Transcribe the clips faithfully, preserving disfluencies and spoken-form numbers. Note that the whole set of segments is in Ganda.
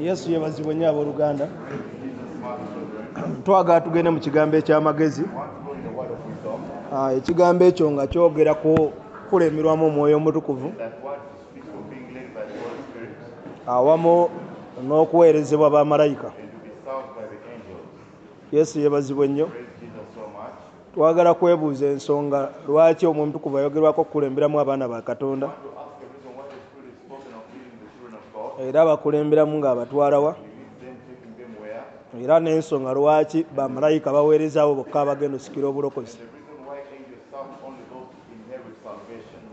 Yesu yeebazibwe nnyo abooluganda. Twagala tugende mu kigambo eky'amagezi. Ekigambo ekyo nga kyogera ku kulemerwamu Omwoyo Omutukuvu awamu n'okuweerezebwa bamalayika. Yesu yeebazibwe nnyo. Twagala kwebuuza ensonga lwaki Omwoyo Omutukuvu ayogerwako okukulemberamu abaana ba Katonda, era abakulemberamu ng'abatwala wa, era n'ensonga lwaki bamalayika baweereza abo bokka abagenda okusikira obulokozi.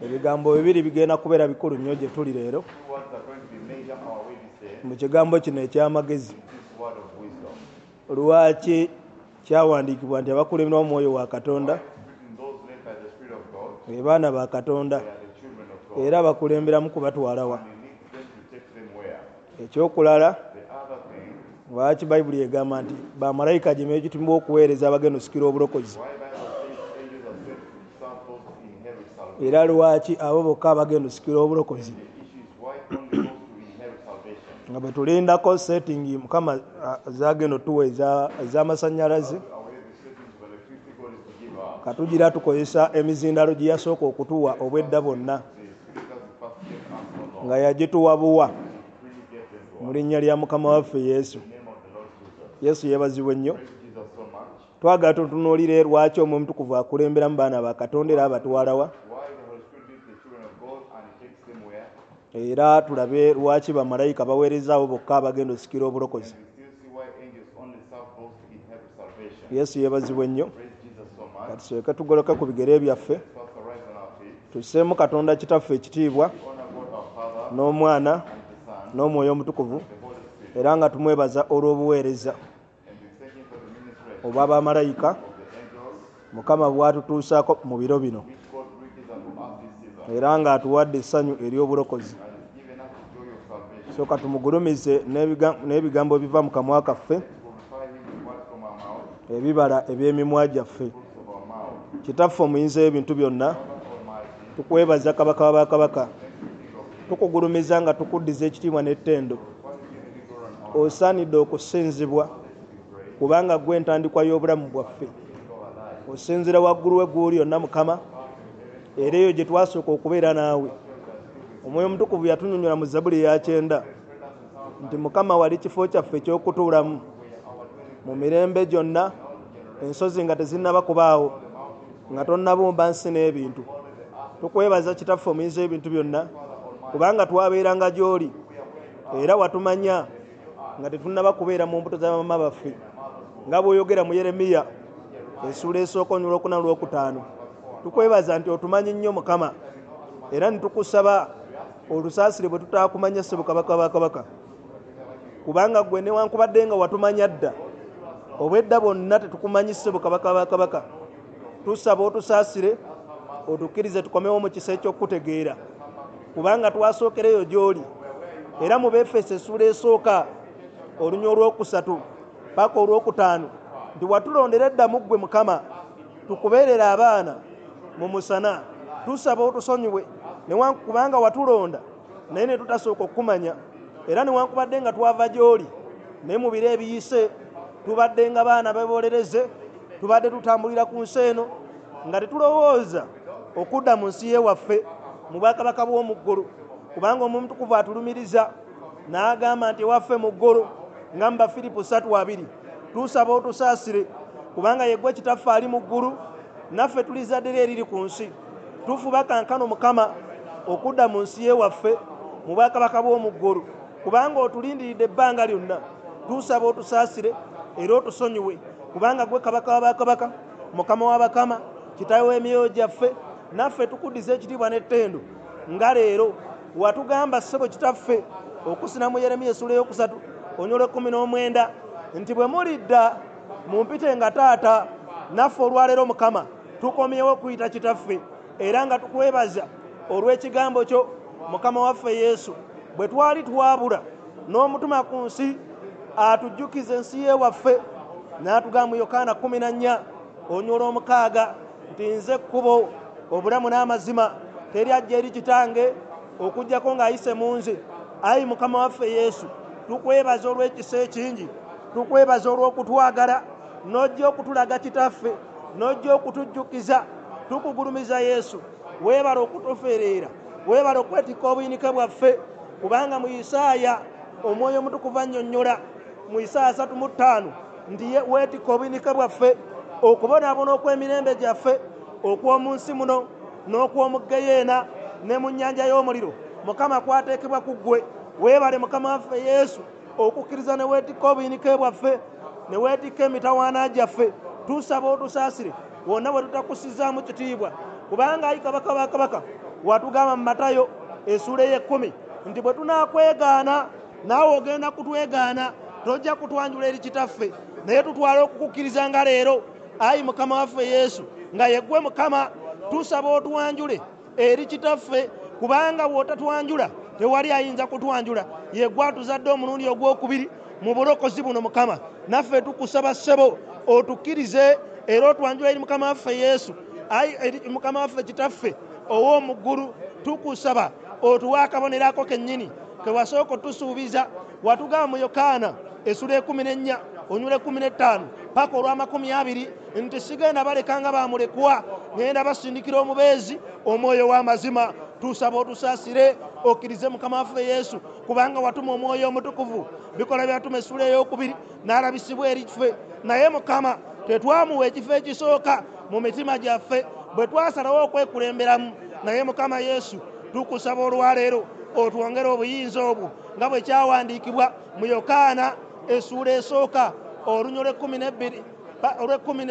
Ebigambo bibiri bigenda kubeera bikulu nnyo gye tuli leero mu kigambo kino eky'amagezi. Lwaki kyawandiikibwa nti abakulemberwa Omwoyo wa Katonda be baana ba Katonda, era abakulemberamu kubatwala wa? Ekyokulala, lwaki Bayibuli egamba nti bamalayika gye beekitumibwa okuweereza abagenda okusikira obulokozi, era lwaki abo bokka abagenda okusikira obulokozi? Nga bwe tulindako setting Mukama zagenda otuwa ez'amasannyalaze, katugira tukozesa emizindalo gye yasooka okutuwa obwedda bwonna, nga yagituwa buwa mu linnya lya Mukama waffe Yesu. Yesu yeebazibwe nnyo. Twagala tutunuulire lwaki Omwoyo Omutukuvu akulemberamu baana ba Katonda era abatwala wa, era tulabe lwaki bamalayika baweereza abo bokka abagenda okusikira obulokozi. Yesu yeebazibwe nnyo. Kati tusooke tugoloke ku bigere byaffe, tusseemu Katonda Kitaffe ekitiibwa n'Omwana n'Omwoyo Omutukuvu, era nga tumwebaza olw'obuweereza obwa bamalayika Mukama bw'atutuusaako mu biro bino, era ng'atuwadde essanyu ery'obulokozi. So katumugulumize n'ebigambo ebiva mu kamwa kaffe, ebibala eby'emimwa gyaffe. Kitaffe omuyinza w'ebintu byonna, tukwebaza Kabaka w'abakabaka, tukugulumiza nga tukuddiza ekitiibwa n'ettendo. Osaanidde okusinzibwa kubanga ggwe entandikwa y'obulamu bwaffe. Osinzira waggulu w'eggulu lyonna Mukama, era eyo gye twasooka okubeera naawe. Omwoyo Omutukuvu yatunyonnyola mu Zabbuli eya kyenda nti Mukama wali kifo kyaffe eky'okutuulamu mu mirembe gyonna, ensozi nga tezinnaba kubaawo, nga tonnabumba nsi n'ebintu. Tukwebaza Kitaffe omuyinza w'ebintu byonna, kubanga twabeeranga gy'oli era watumanya nga tetunnaba kubeera mu mbuto za bamama baffe, nga bw'oyogera mu Yeremiya essuula esooka olunyiriri olwokuna n'olwokutaano. Tukwebaza nti otumanyi nnyo Mukama, era ne tukusaba olusaasire bwe tutaakumanya ssebo Kabaka wa Kabaka, kubanga ggwe newankubadde nga watumanya dda, obwedda bwonna tetukumanyi ssebo Kabaka wa Kabaka. Tusaba otusaasire, otukkirize tukomewo mu kisa eky'okutegeera, kubanga twasookereyo gy'oli. Era mu Befeso essuula esooka olunyiriri olwokusatu paka olwokutaano nti watulondera edda mu ggwe Mukama, tukubeerera abaana mu musana. Tusaba otusonyiwe kubanga watulonda naye ne tutasooka okukumanya, era newankubadde nga twava gy'oli, naye mu biro ebiyise tubadde nga baana bebolereze, tubadde tutambulira ku nsi eno nga tetulowooza okudda mu nsi y'ewaffe mu bwakabaka bw'omu ggulu, kubanga Omwoyo Omutukuvu atulumiriza n'agamba nti ewaffe mu ggulu, nga mu Bafiripo ssatu abiri. Tusaba otusaasire kubanga ye ggwe Kitaffe ali mu ggulu, naffe tuli zadde lye eriri ku nsi. Tufuba kankano Mukama okudda mu nsi y'ewaffe mu bwakabaka bw'omu ggulu, kubanga otulindiridde ebbanga lyonna. Tusaba otusaasire era otusonyiwe, kubanga ggwe Kabaka w'abakabaka, Mukama w'abakama, Kitaawe w'emyoyo gyaffe, naffe tukuddiza ekitiibwa n'ettendo. Nga leero watugamba ssebo Kitaffe okusina mu Yeremiya essuula ey'okusatu olunyiriri olw'ekkumi n'omwenda nti bwe mulidda mumpite nga taata, naffe olwaleero Mukama tukomyewo okuyita Kitaffe, era nga tukwebaza olw'ekigambo kyo Mukama waffe Yesu. Bwe twali twabula n'omutuma ku nsi atujjukize ensi y'ewaffe, n'atugamba mu Yokaana kkumi na nnya olunyiriri olw'omukaaga nti nze kkubo, obulamu n'amazima, teri ajja eri Kitange okuggyako ng'ayise mu nze. Ayi Mukama waffe Yesu, Tukwebaza olw'ekisa ekingi, tukwebaza olw'okutwagala, n'ojja okutulaga Kitaffe, n'ojja okutujjukiza. Tukugulumiza Yesu, weebale okutufeereera, weebale okwetikka obuyinike bwaffe, kubanga mu Isaaya Omwoyo Omutukuvu annyonnyola mu Isaaya asatu mu ttaano nti weetikka obuyinike bwaffe, okubonaabona okw'emirembe gyaffe okw'omu nsi muno n'okw'omu ggeyeena ne mu nnyanja y'omuliro Mukama kwateekebwa ku ggwe. Weebale Mukama waffe Yesu okukkiriza ne weetikka obuyinike bwaffe, ne weetikka emitawaana gyaffe. Tusaba otusaasire wonna we tutakussizaamu kitiibwa, kubanga ayi Kabaka wa kabaka watugamba mu Matayo essuula ey'ekkumi nti bwe tunaakwegaana naawe ogenda kutwegaana, tojja kutwanjula eri Kitaffe. Naye tutwale okukukkiriza nga leero, ayi Mukama waffe Yesu, nga yeggwe Mukama. Tusaba otwanjule eri Kitaffe, kubanga bw'otatwanjula tewali ayinza kutwanjula. Yeggwe atuzadde omulundi ogwokubiri mu bulokozi buno Mukama. Naffe tukusaba ssebo otukkirize era otwanjula eri Mukama waffe Yesu, ayi eri Mukama waffe Kitaffe ow'omu ggulu. Tukusaba otuwe akabonero ako kennyini ke wasooka otusuubiza. Watugamba mu Yokaana essuula ekkumi n'ennya onyula ekkumi n'ettaano paka olw'amakumi abiri nti sigenda baleka nga bamulekwa, ngenda basindikira omubeezi Omwoyo w'amazima. Tusaba otusaasire okkirize Mukama waffe Yesu, kubanga watuma Omwoyo Omutukuvu. Bikola byatuma essuula ey'okubiri n'alabisibwa eri ffe, naye Mukama tetwamuwa ekifo ekisooka mu mitima gyaffe bwe twasalawo okwekulemberamu. Naye Mukama Yesu tukusaba olwaleero otwongere obuyinza obwo nga bwe kyawandiikibwa mu Yokaana essuula esooka olunya olw'ekkumi n'ebbiri olw'ekkumi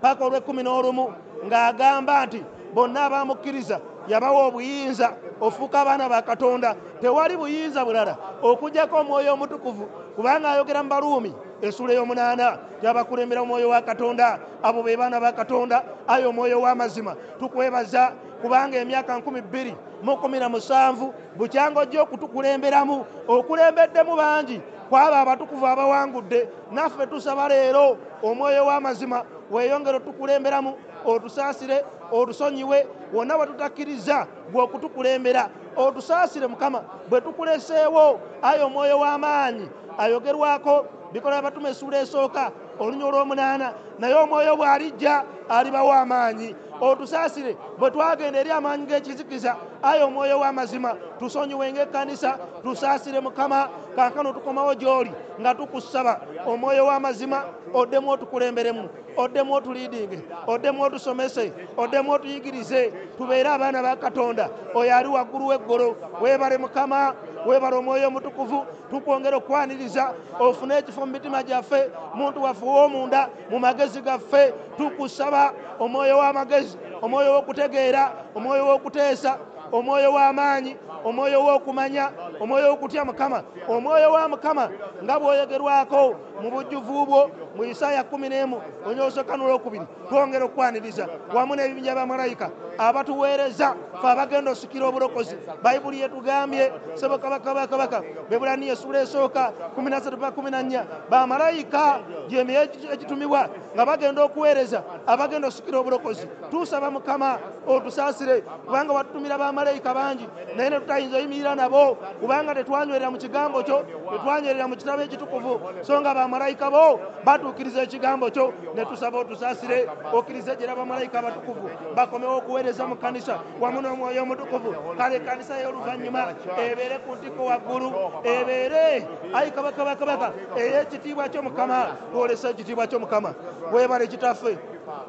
paka olw'ekkumi n'olumu, ng'agamba nti bonna abamukkiriza yabawa obuyinza ofuuka abaana ba Katonda. Tewali buyinza bulala okuggyako Omwoyo Omutukuvu, kubanga ayogera mu Baruumi essuula ey'omunaana yabakulembera Omwoyo wa Katonda, abo be baana ba Katonda, ayi Omwoyo w'amazima. Tukwebaza kubanga emyaka nkumi bbiri mu kkumi na musanvu bukyanga ojja okutukulemberamu, okulembeddemu bangi kwabo abatukuvu abawangudde. Naffe tusaba leero Omwoyo w'amazima weeyongere otukulemberamu, otusaasire, otusonyiwe wonna we tutakkiriza gwe okutukulembera. Otusaasire Mukama bwe tukuleseewo, ayi Omwoyo w'amaanyi ayogerwako Bikola Abatume essuula esooka olunya olw'omunaana, naye Omwoyo bw'alijja alibawa amaanyi. Otusaasire bwe twagenda eri amaanyi g'ekizikiza, ayi Omwoyo w'amazima tusonyiwe ng'ekkanisa. Tusaasire Mukama, kaakano tukomawo gy'oli nga tukusaba Omwoyo w'amazima oddemu otukulemberemu, oddemu otuliidinge, oddemu otusomese, oddemu otuyigirize, tubeere abaana ba Katonda oyo ali waggulu w'eggulu. Weebale Mukama, weebale Omwoyo Omutukuvu. Tukwongera okwaniriza ofune ekifo mu mitima gyaffe, muntu waffe ow'omunda, mu magezi gaffe. Tukusaba Omwoyo w'amagezi, Omwoyo w'okutegeera, Omwoyo w'okuteesa, Omwoyo w'amaanyi, Omwoyo w'okumanya, Omwoyo w'okutya Mukama, Omwoyo wa Mukama nga bw'oyogerwako mu bujjuvu bwo mu Isaaya kkumi n'emu onyoosoka n'olwokubiri. Twongera okwaniriza wamu n'ebibinja bya malayika abatuweereza ffe abagenda osikira obulokozi. Bayibuli yetugambye ssebo Kabaka ba kabaka Bebbulaniya essuula esooka kkumi na ssatu paka kkumi na nnya, bamalayika gy'emyoyo egitumibwa nga bagenda okuweereza abagenda osikira obulokozi. Tusaba Mukama otusaasire, kubanga watutumira bamalayika bangi naye ne tutayinza oyimirira nabo, kubanga tetwanywerera mu kigambo kyo, tetwanywerera mu kitabo ekitukuvu, so nga bamalayika bo batuukiriza ekigambo kyo. Ne tusaba otusaasire okkirize gyera bamalayika abatukuvu bakomewo okuweereza mu kkanisa wamu n'Omwoyo Omutukuvu. Kale ekkanisa y'oluvannyuma ebeere ku ntikko waggulu, ebeere ayi Kabaka ba kabaka ey'ekitiibwa kyo Mukama. Twolesa ekitiibwa kyo Mukama. Weebale Kitaffe,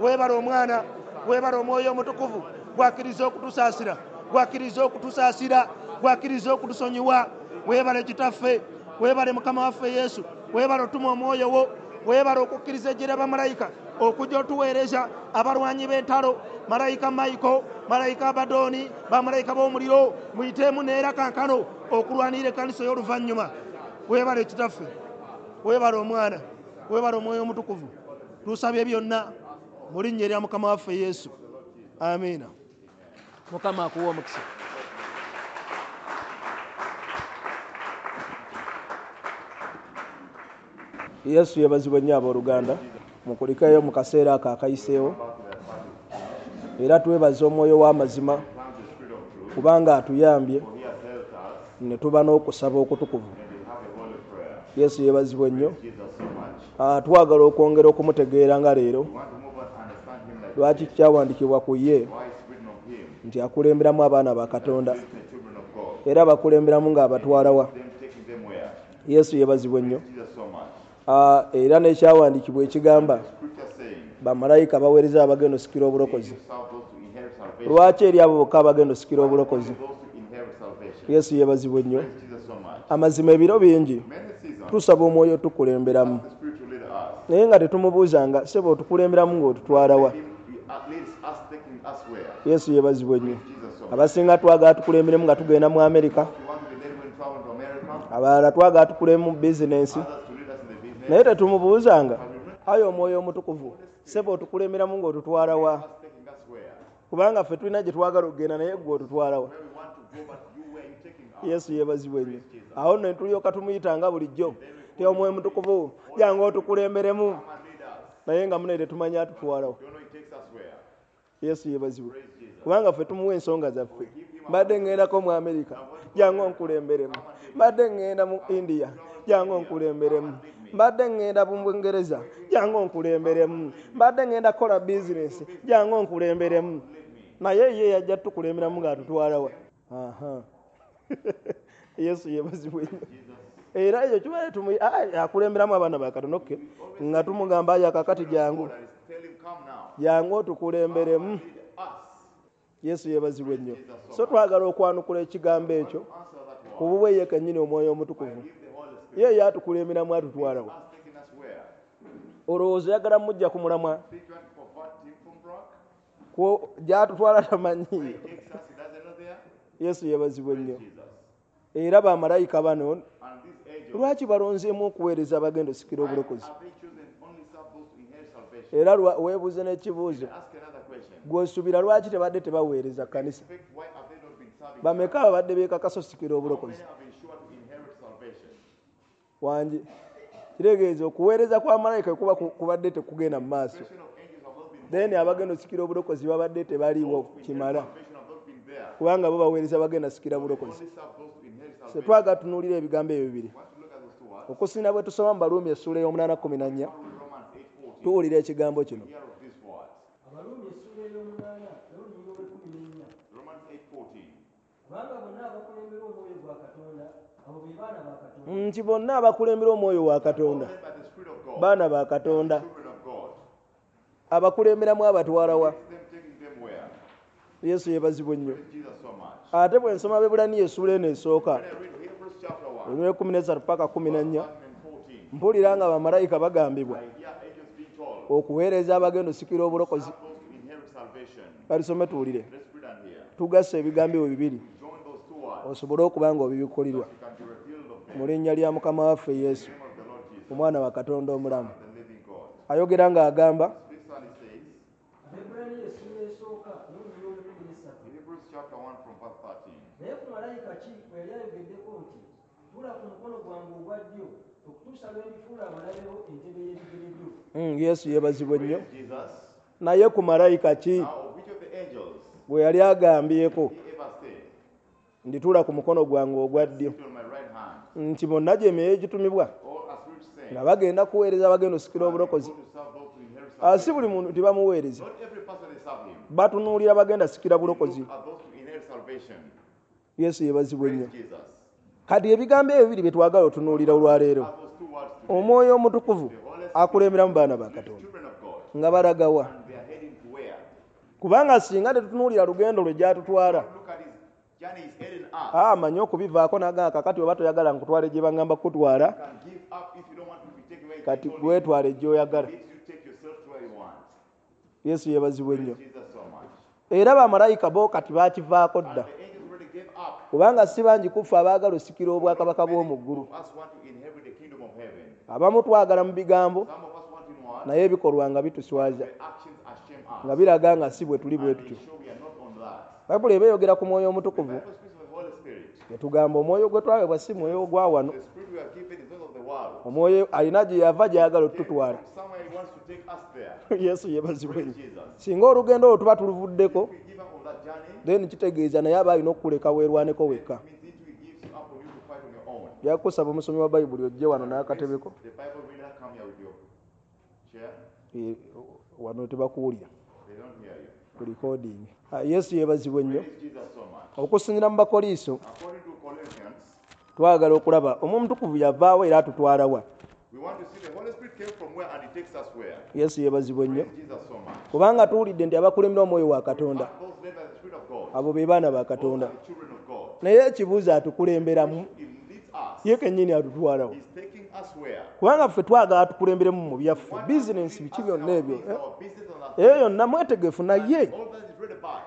weebale Omwana, weebale Omwoyo Omutukuvu gwakkiriza okutusaasira, gwakkiriza okutusaasira, gwakkiriza okutusonyiwa. Weebale Kitaffe, weebale Mukama waffe Yesu, weebale otuma Omwoyo wo, weebale okukkiriza ejje bamalayika okujja otuweereza abalwanyi b'entalo, malayika Mayiko, malayika Abadooni, bamalayika b'omuliro, muyiteemu neera kankano okulwanirira ekkanisa ey'oluvannyuma. Weebale Kitaffe, weebale Omwana, weebale Omwoyo Omutukuvu. Tusabye byonna mu linnya erya Mukama waffe Yesu, amiina. Mukama akuwe omukisa. Yesu yeebazibwe nnyo abooluganda. Mukulikeyo mu kaseera ako akayiseewo, era twebaza Omwoyo w'amazima kubanga atuyambye ne tuba n'okusaba okutukuvu. Yesu yeebazibwe nnyo. Twagala okwongera okumutegeera nga leero lwaki kyawandiikibwa ku ye nti akulemberamu abaana ba Katonda era abakulemberamu ng'abatwala wa. Yesu yeebazibwe nnyo. Era n'ekyawandiikibwa ekigamba bamalayika baweereza abagenda osikira obulokozi. Lwaki eri abo bokka abagenda osikira obulokozi? Yesu yeebazibwe nnyo. Amazima ebiro bingi tusaba omwoyo otukulemberamu naye nga tetumubuuzanga ssebo otukulemberamu ng'otutwala wa. Yesu yeebazibwe nnyo. Abasinga twagala tukulemberemu nga tugenda mu Amerika, abalala twagala tukulemu mu bizinensi naye tetumubuuzanga ayi omwoyo omutukuvu ssebo otukulemberamu ng'otutwala wa, kubanga ffe tulina gye twagala okugenda naye ggwe otutwala wa. Yesu yeebazibwe nnyo. Awo nno tulyoka tumuyitanga bulijjo ti omwoyo omutukuvu jangu otukulemberemu naye nga munne tetumanya atutwala wa. Yesu yeebazibwe kubanga ffe tumuwa ensonga zaffe. Mbadde ŋŋendako mu Amerika, jangu onkulemberemu. Mbadde ŋŋenda mu India, jangu onkulemberemu. Mbadde ŋŋenda mu Bungereza, jangu onkulemberemu. Mbadde ŋŋenda kukola bizinesi, jangu onkulemberemu. Naye ye yajja tukulemberamu ng'atutwala wa. Aha. Yesu yeebazibwe nnyo. Era ekyo kibaye tumu akulemberamu abaana ba Katonda okay nga tumugamba ayi akakati jangu jangu otukulemberemu. Yesu yeebazibwe nnyo. So twagala okwanukula ekigambo ekyo ku bubwe ye kennyini omwoyo omutukuvu ye yatukulemberamu atutwala wa. Olowooza oyagala mujja ku mulamwa gy'atutwala tamanyiiyo. Yesu yeebazibwe nnyo. Era bamalayika bano lwaki balonzeemu okuweereza abagenda osikira obulokozi? Era weebuuze n'ekibuuzo gw'osuubira lwaki tebadde tebaweereza kkanisa? Bameka ababadde beekakasa osikira obulokozi? Wangi kitegeeza okuweereza kwa malayika kuba kubadde tekugenda mu maaso, then abagenda osikira obulokozi babadde tebaliiwo kimala kubanga bo baweereza bagenda sikira bulokozi. So twagala tunuulira ebigambo ebyo bibiri. Okusinga bwe tusoma mu Baruumi essuula ey'omunaana kkumi na nnya tuwulira ekigambo kino. Nti bonna abakulembera omwoyo wa Katonda baana ba Katonda. Abakulemberamu abatwala wa? Yesu yeebazibwe nnyo. Ate bwe nsoma Abaebbulaniya essuula eno esooka olw'ekkumi n'essatu paka kkumi na nnya mpulira nga bamalayika bagambibwa okuweereza abagenda osikira obulokozi. Kalisome tuwulire tugasse ebigambo ebyo bibiri osobole okuba nga obibikulirwa mu linnya lya Mukama waffe Yesu omwana wa Katonda omulamu. Ayogera ng'agamba Yesu yeebazibwe nnyo. Naye ku malayika ki bwe yali agambyeko ndituula ku mukono gwange ogwa ddyo nti bonna gye emyoyo egitumibwa nga bagenda kuweereza abagenda osikira obulokozi. Si buli muntu tibamuweereza, batunuulira bagenda sikira bulokozi. Yesu yeebazibwe nnyo. Kati ebigambo ebyo bibiri bye twagala otunuulira olwaleero. Omwoyo omutukuvu akulemberamu baana ba Katonda nga balagawa, kubanga singa tetutunuulira lugendo lwe gy'atutwala amanyi okubivaako n'agamba kakati oba toyagala nkutwale gye baŋŋamba kukutwala, kati gwetwale gy'oyagala. Yesu yeebazibwe nnyo. Era bamalayika bo kati baakivaako dda kubanga si bangi ku ffe abaagala osikira obwakabaka bw'omu ggulu. Abamu twagala mu bigambo naye ebikolwa nga bituswaza nga biraga nga si bwe tuli bwe tutyo. Bayibuli eba eyogera ku mwoyo omutukuvu yatugamba omwoyo gwe twaweebwa si mwoyo ogwa wano. Omwoyo alina gye yava gy'ayagala otutwala. Yesu yeebazibwe nnyo. Singa olugendo olwo tuba tuluvuddeko then kitegeeza naye aba alina okukuleka weerwaneko wekka. Yakusaba omusomi wa Bayibuli ojje wano n'akatebeko. The Bible reader, come here with your chair. Eh, wano tebakuwulira. They don't hear you. Ku recording. Ah, Yesu yeebazibwe nnyo. Praise Jesus so much. Okusinziira mu Bakoliiso, According to Corinthians, twagala okulaba Omwoyo Omutukuvu yavaawo era atutwala wa. we want to see the Holy Spirit came from where and he takes us where. Yesu yeebazibwe nnyo. Praise Jesus so much. Kubanga tuwulidde nti abakulembera Omwoyo wa Katonda, And those led by the Spirit of God, abo be baana ba those Katonda. are the children of God. Naye ekibuuzo atukulemberamu, He leads us. ye kennyini atutwalawo. He's taking us where? Kubanga ffe twagala atukulemberemu mu byaffe, Want us to bizinensi lead biki us in byonna our ebyo. things, our business and our Eyo things. yonna mwetegefu naye All that is read about.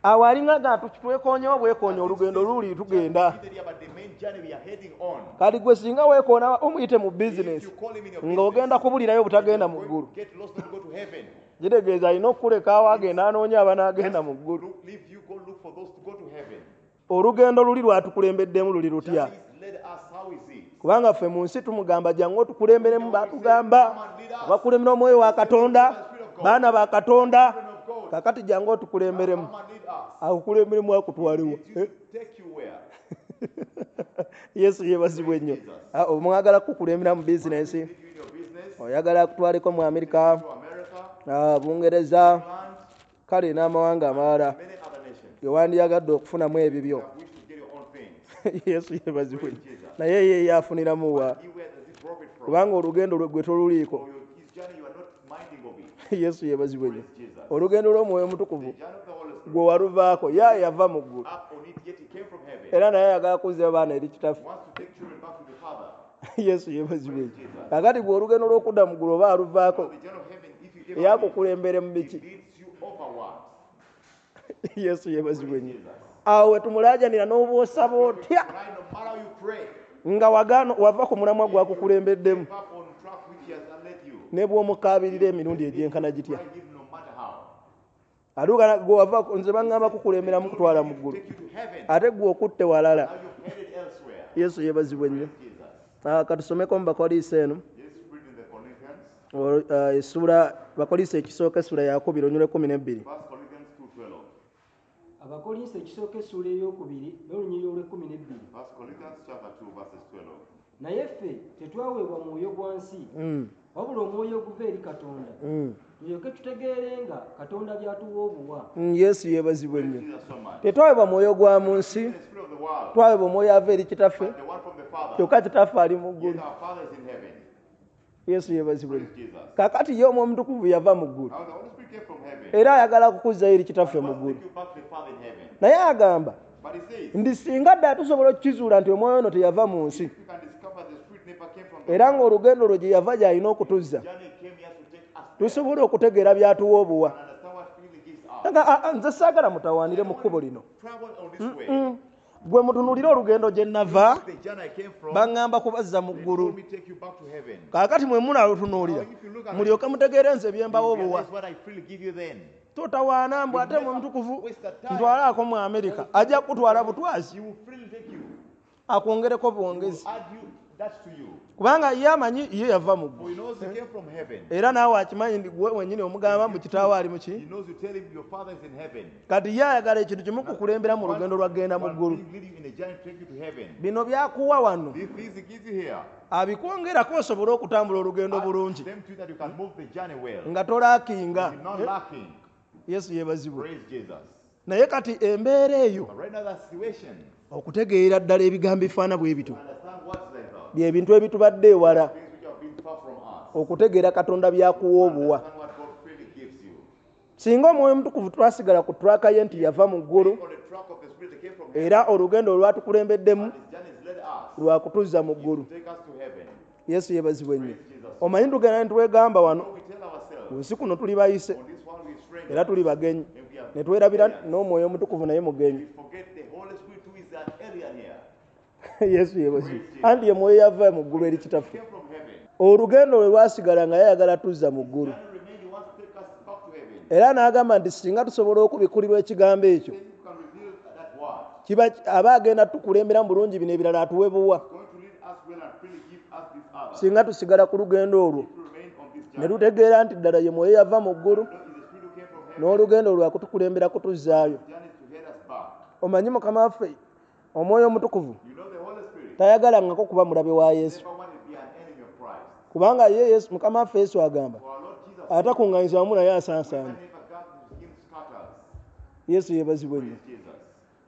awo alinga nga twekoonyewo bwekoonye olugendo luli tugenda. But the main journey we are heading on. Kati gwe singa weekoona omuyite mu If bizinensi you call him in your business, ng'ogenda kubulirayo butagenda mu you're ggulu. going to get lost not to go to heaven. Kitegeeza alina okukuleka awo agenda anoonya abanaagenda mu ggulu. Look, leave you, go look for those to go to heaven. Olugendo luli lwatukulembeddemu luli lutya? Journey is led us, how is it? Kubanga ffe mu nsi tumugamba jangu otukulemberemu, baatugamba abakulembera Omwoyo wa Katonda, baana ba Katonda, Children of God, kakati jangu otukulemberemu. come and lead us. Akukulemberemu akutwalewa. Lead you to take you where? Yesu yeebazibwe nnyo. Ah, omwagala kukulembera mu bizinensi, Lead you in your business, oyagala akutwaleko mu Amerika, to America, ah, Bungereza, England, kale n'amawanga amalala many other nations. ge wandiyagadde okufunamu ebibyo. You have wished to get your own things. Yesu yeebazibwe nnyo. Naye ye yafuniramu wa? He where does he profit from? Kubanga olugendo lwe gwe toluliiko. For your, his journey, you are not minding of it. Yesu yeebazibwe nnyo. Praise Jesus. Olugendo lw'Omwoyo Omutukuvu The journey of the Holy Spirit, gwe waluvaako, ye yava mu ggulu. up on it, yet he came from heaven. Era naye ayagala kuzza baana eri kitaffe. He wants to take children back to the Father. Yesu yeebazibwe nnyo. Kakati gwe olugendo lw'okudda mu ggulu oba aluvaako, The journey of heaven, if you give up it, yakukulembere mu he biki? leads you over what? Yesu yeebazibwe nnyo. Jesus. Awo we tumulaajanira n'oba osaba otya Right, no matter how you pray, nga wagaano wava ku mulamwa gwakukulembeddemu give up on track which he has led you. ne bw'omukaabirira emirundi egyenkana gitya. Try him no matter how. Atuuka gwe wava nze baŋŋamba kukulemberamu kutwala mu ggulu, Take you to heaven. ate gwe okutte walala. Now you've headed elsewhere. Yesu yeebazibwe nnyo. Jesus. Ah, katusomeko mu Bakoliiso eno. Let's read in the Corinthians, O- ah, essuula Bakoliiso ekisooka essula yakubiri olunyiriri lw'ekkumi n'ebbiri. First Corinthians two twelve. Abakolinso ekisooka essuula ey'okubiri n'olunyiriri olw'ekkumi n'ebbiri. First Corinthians chapter two verses twelve. Naye ffe tetwaweebwa mwoyo gwa nsi, Mm, wabula omwoyo oguva eri Katonda, mm. tulyoke tutegeerenga Katonda by'atuwa obuwa. Mm, Yesu yeebazibwe nnyo. Jesus so much. Tetwaweebwa mwoyo gwa mu nsi, The spirit of the world, twaweebwa omwoyo ava eri kitaffe, but the one from the Father. kyokka kitaffe ali mu Yet ggulu. our Father is in heaven. Yesu yeebazibwe nnyo. Praise Jesus. Kakati ye Omwoyo Omutukuvu yava mu ggulu, Now the Holy Spirit came from heaven. era ayagala kukuzzayo eri kitaffe mu Wants to ggulu. take you back to the Father in heaven. Naye agamba But he says, nti singa ddala tusobola okukizuula nti omwoyo ono teyava mu nsi, if you can discover the Spirit never came from the era ng'olugendo lwe gye yava gy'alina okutuzza, journey came here to take us there tusobola okutegeera by'atuwa obuwa. and understand what freely gives us. Nga, "Ah, ah, nze saagala mutawaanire mu kkubo lino. Travel on this way. Gwe mutunuulire olugendo gye nava, The journey I came from, baŋŋamba kubazza mu they ggulu. told me take you back to heaven. Kaakati mwe munaalutunuulira mulyoke mutegeere nze bye mbawa You obuwa. realize what I freely give you then. Totawaana mbu ate mwe mutukuvu ntwalaako mu Amerika, ajja kukutwala butwazi, He will freely take you. akwongereko bwongezi, Add you that to you. kubanga ye amanyi ye yava mu For ggulu, he knows he came from heaven. era naawe akimanyi nti gwe wennyini omugamba mbu kitaawe ali mu ki. He knows you tell him your father is in heaven. Kati ye ayagala ekintu kimu kukulembera mu lugendo lwagenda mu One ggulu. thing lead you in a journey to take you to heaven. Bino byakuwa wano These things he gives you here. abikwongerako osobole okutambula olugendo Add bulungi them to you that you can move the journey well. nga tolaakinga. You're not lacking. Yesu yeebazibwe. Praise Jesus. Naye kati embeera eyo But right now that situation, okutegeera ddala ebigambo bifaana bwe bityo understand what's like that. bye bintu ebitubadde ewala Things which have been far from us. okutegeera Katonda byakuwa obuwa. Understand what God freely gives you. Singa Omwoyo Omutukuvu twasigala ku traka ye nti yava mu ggulu, On the track of the Spirit that came from heaven. era olugendo olwatukulembeddemu His journey has led us lwakutuzza mu ggulu. to take us to heaven. Yesu yeebazibwe nnyo. Omanyi tugenda ne twegamba wano So we tell ourselves, ku nsi kuno tuli bayise on this one we strangers, era tuli bagenyi, and we are ne twerabira n'Omwoyo Omutukuvu naye mugenyi. we forget the Holy Spirit who is an alien here. Yesu yeebazibwe. Anti ye mwoyo yava mu ggulu eri kitaffe. Came from heaven. Olugendo lwe lwasigala nga yayagala tuzza mu ggulu, Journey remained, he wants to take us back to heaven. era n'agamba nti singa tusobola okubikulirwa ekigambo ekyo, Then you can reveal that word. kiba aba agenda tukulembera mu bulungi bino ebirala atuwe buwa. Going to lead us well and freely give us this other. Singa tusigala ku lugendo olwo If we remain on this ne journey, tutegeera nti ddala ye mwoyo yava mu ggulu no, is the Spirit who came from heaven. n'olugendo lwakutukulembera kutuzzaayo. Journey is to head us back. Omanyi Mukama waffe Omwoyo Omutukuvu You know the Holy Spirit Tayagalangako kuba mulabe wa Yesu. Never wanted to be an enemy of Christ. Kubanga ye Yesu Mukama waffe Yesu agamba For our Lord Jesus said, atakuŋŋaanyiza wamu naye asaasaana. "Whoever never gathers with him scatters." Yesu yeebazibwe nnyo. Praise Jesus.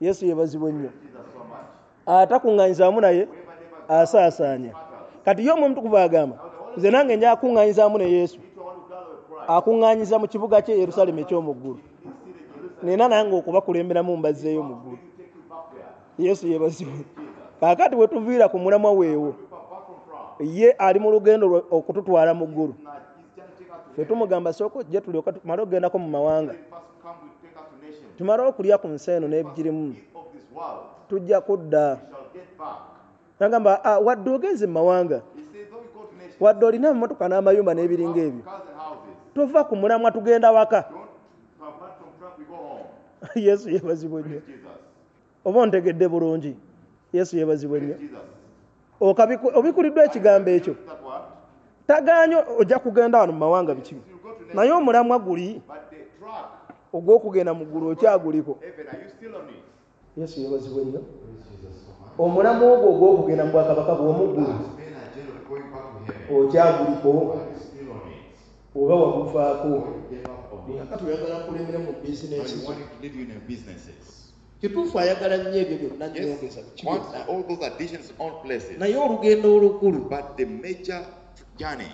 Yesu yeebazibwe nnyo. Praise Jesus so much. Atakuŋŋaanyiza wamu naye Whoever never gathers asaasaanya. scatters. Kati ye Omwoyo Omutukuvu agamba nze nange nja kuŋŋaanyiza wamu ne Yesu Me too, I want to gather with Christ. akuŋŋaanyiza mu kibuga kye Yerusaalemi eky'omu ggulu. In his city, Jerusalem. Nina nange okubakulemberamu mbazzeeyo mu ggulu. Will take you back there. Yesu yeebazibwe. Kaakati bwe tuviira ku mulamwa weewo We are back from France. ye ali mu lugendo lwe okututwala mu ggulu. Now, he's trying to take us to Ffe heaven. tumugamba sooka ojje tulyoke tumale okugendako mu mawanga. First come, will take us to nations. Tumale okulya ku nsi eno n'ebigirimu Eat of this world. tujja kudda. We shall get back. Nagamba "Ah, wadde ogenze mu mawanga He says, though we go to nations, wadde olina emmotoka n'amayumba n'ebiringa ebyo cars and houses, tova ku mulamwa tugenda waka. don't come back from trap, we go home. Yesu yeebazibwe nnyo. Praise Jesus. Oba ontegedde bulungi. Yesu yeebazibwe nnyo. Praise Jesus. Okabiku- obikuliddwa ekigambo ekyo. That word. Tagaanye ojja kugenda wano mu mawanga biki You go to nations, naye omulamwa guli but the track, ogw'okugenda mu ggulu okyaguliko. heaven, are you still on it? Yesu yeebazibwe nnyo. Omulamwa ogwo ogw'okugenda mu bwakabaka bw'omu ggulu That's been a journey of going back to heaven. okyaguliko Are you still on it? oba waguvaako. Or you gave up on it? Kakati oyagala nkulemere mu Now bizinensi you zo. want him to lead you in your businesses. Kituufu ayagala nnyo ebyo byonna Yes, nnyongeza biki wants byonna. all those additions in all places. Naye olugendo olukulu But the major journey,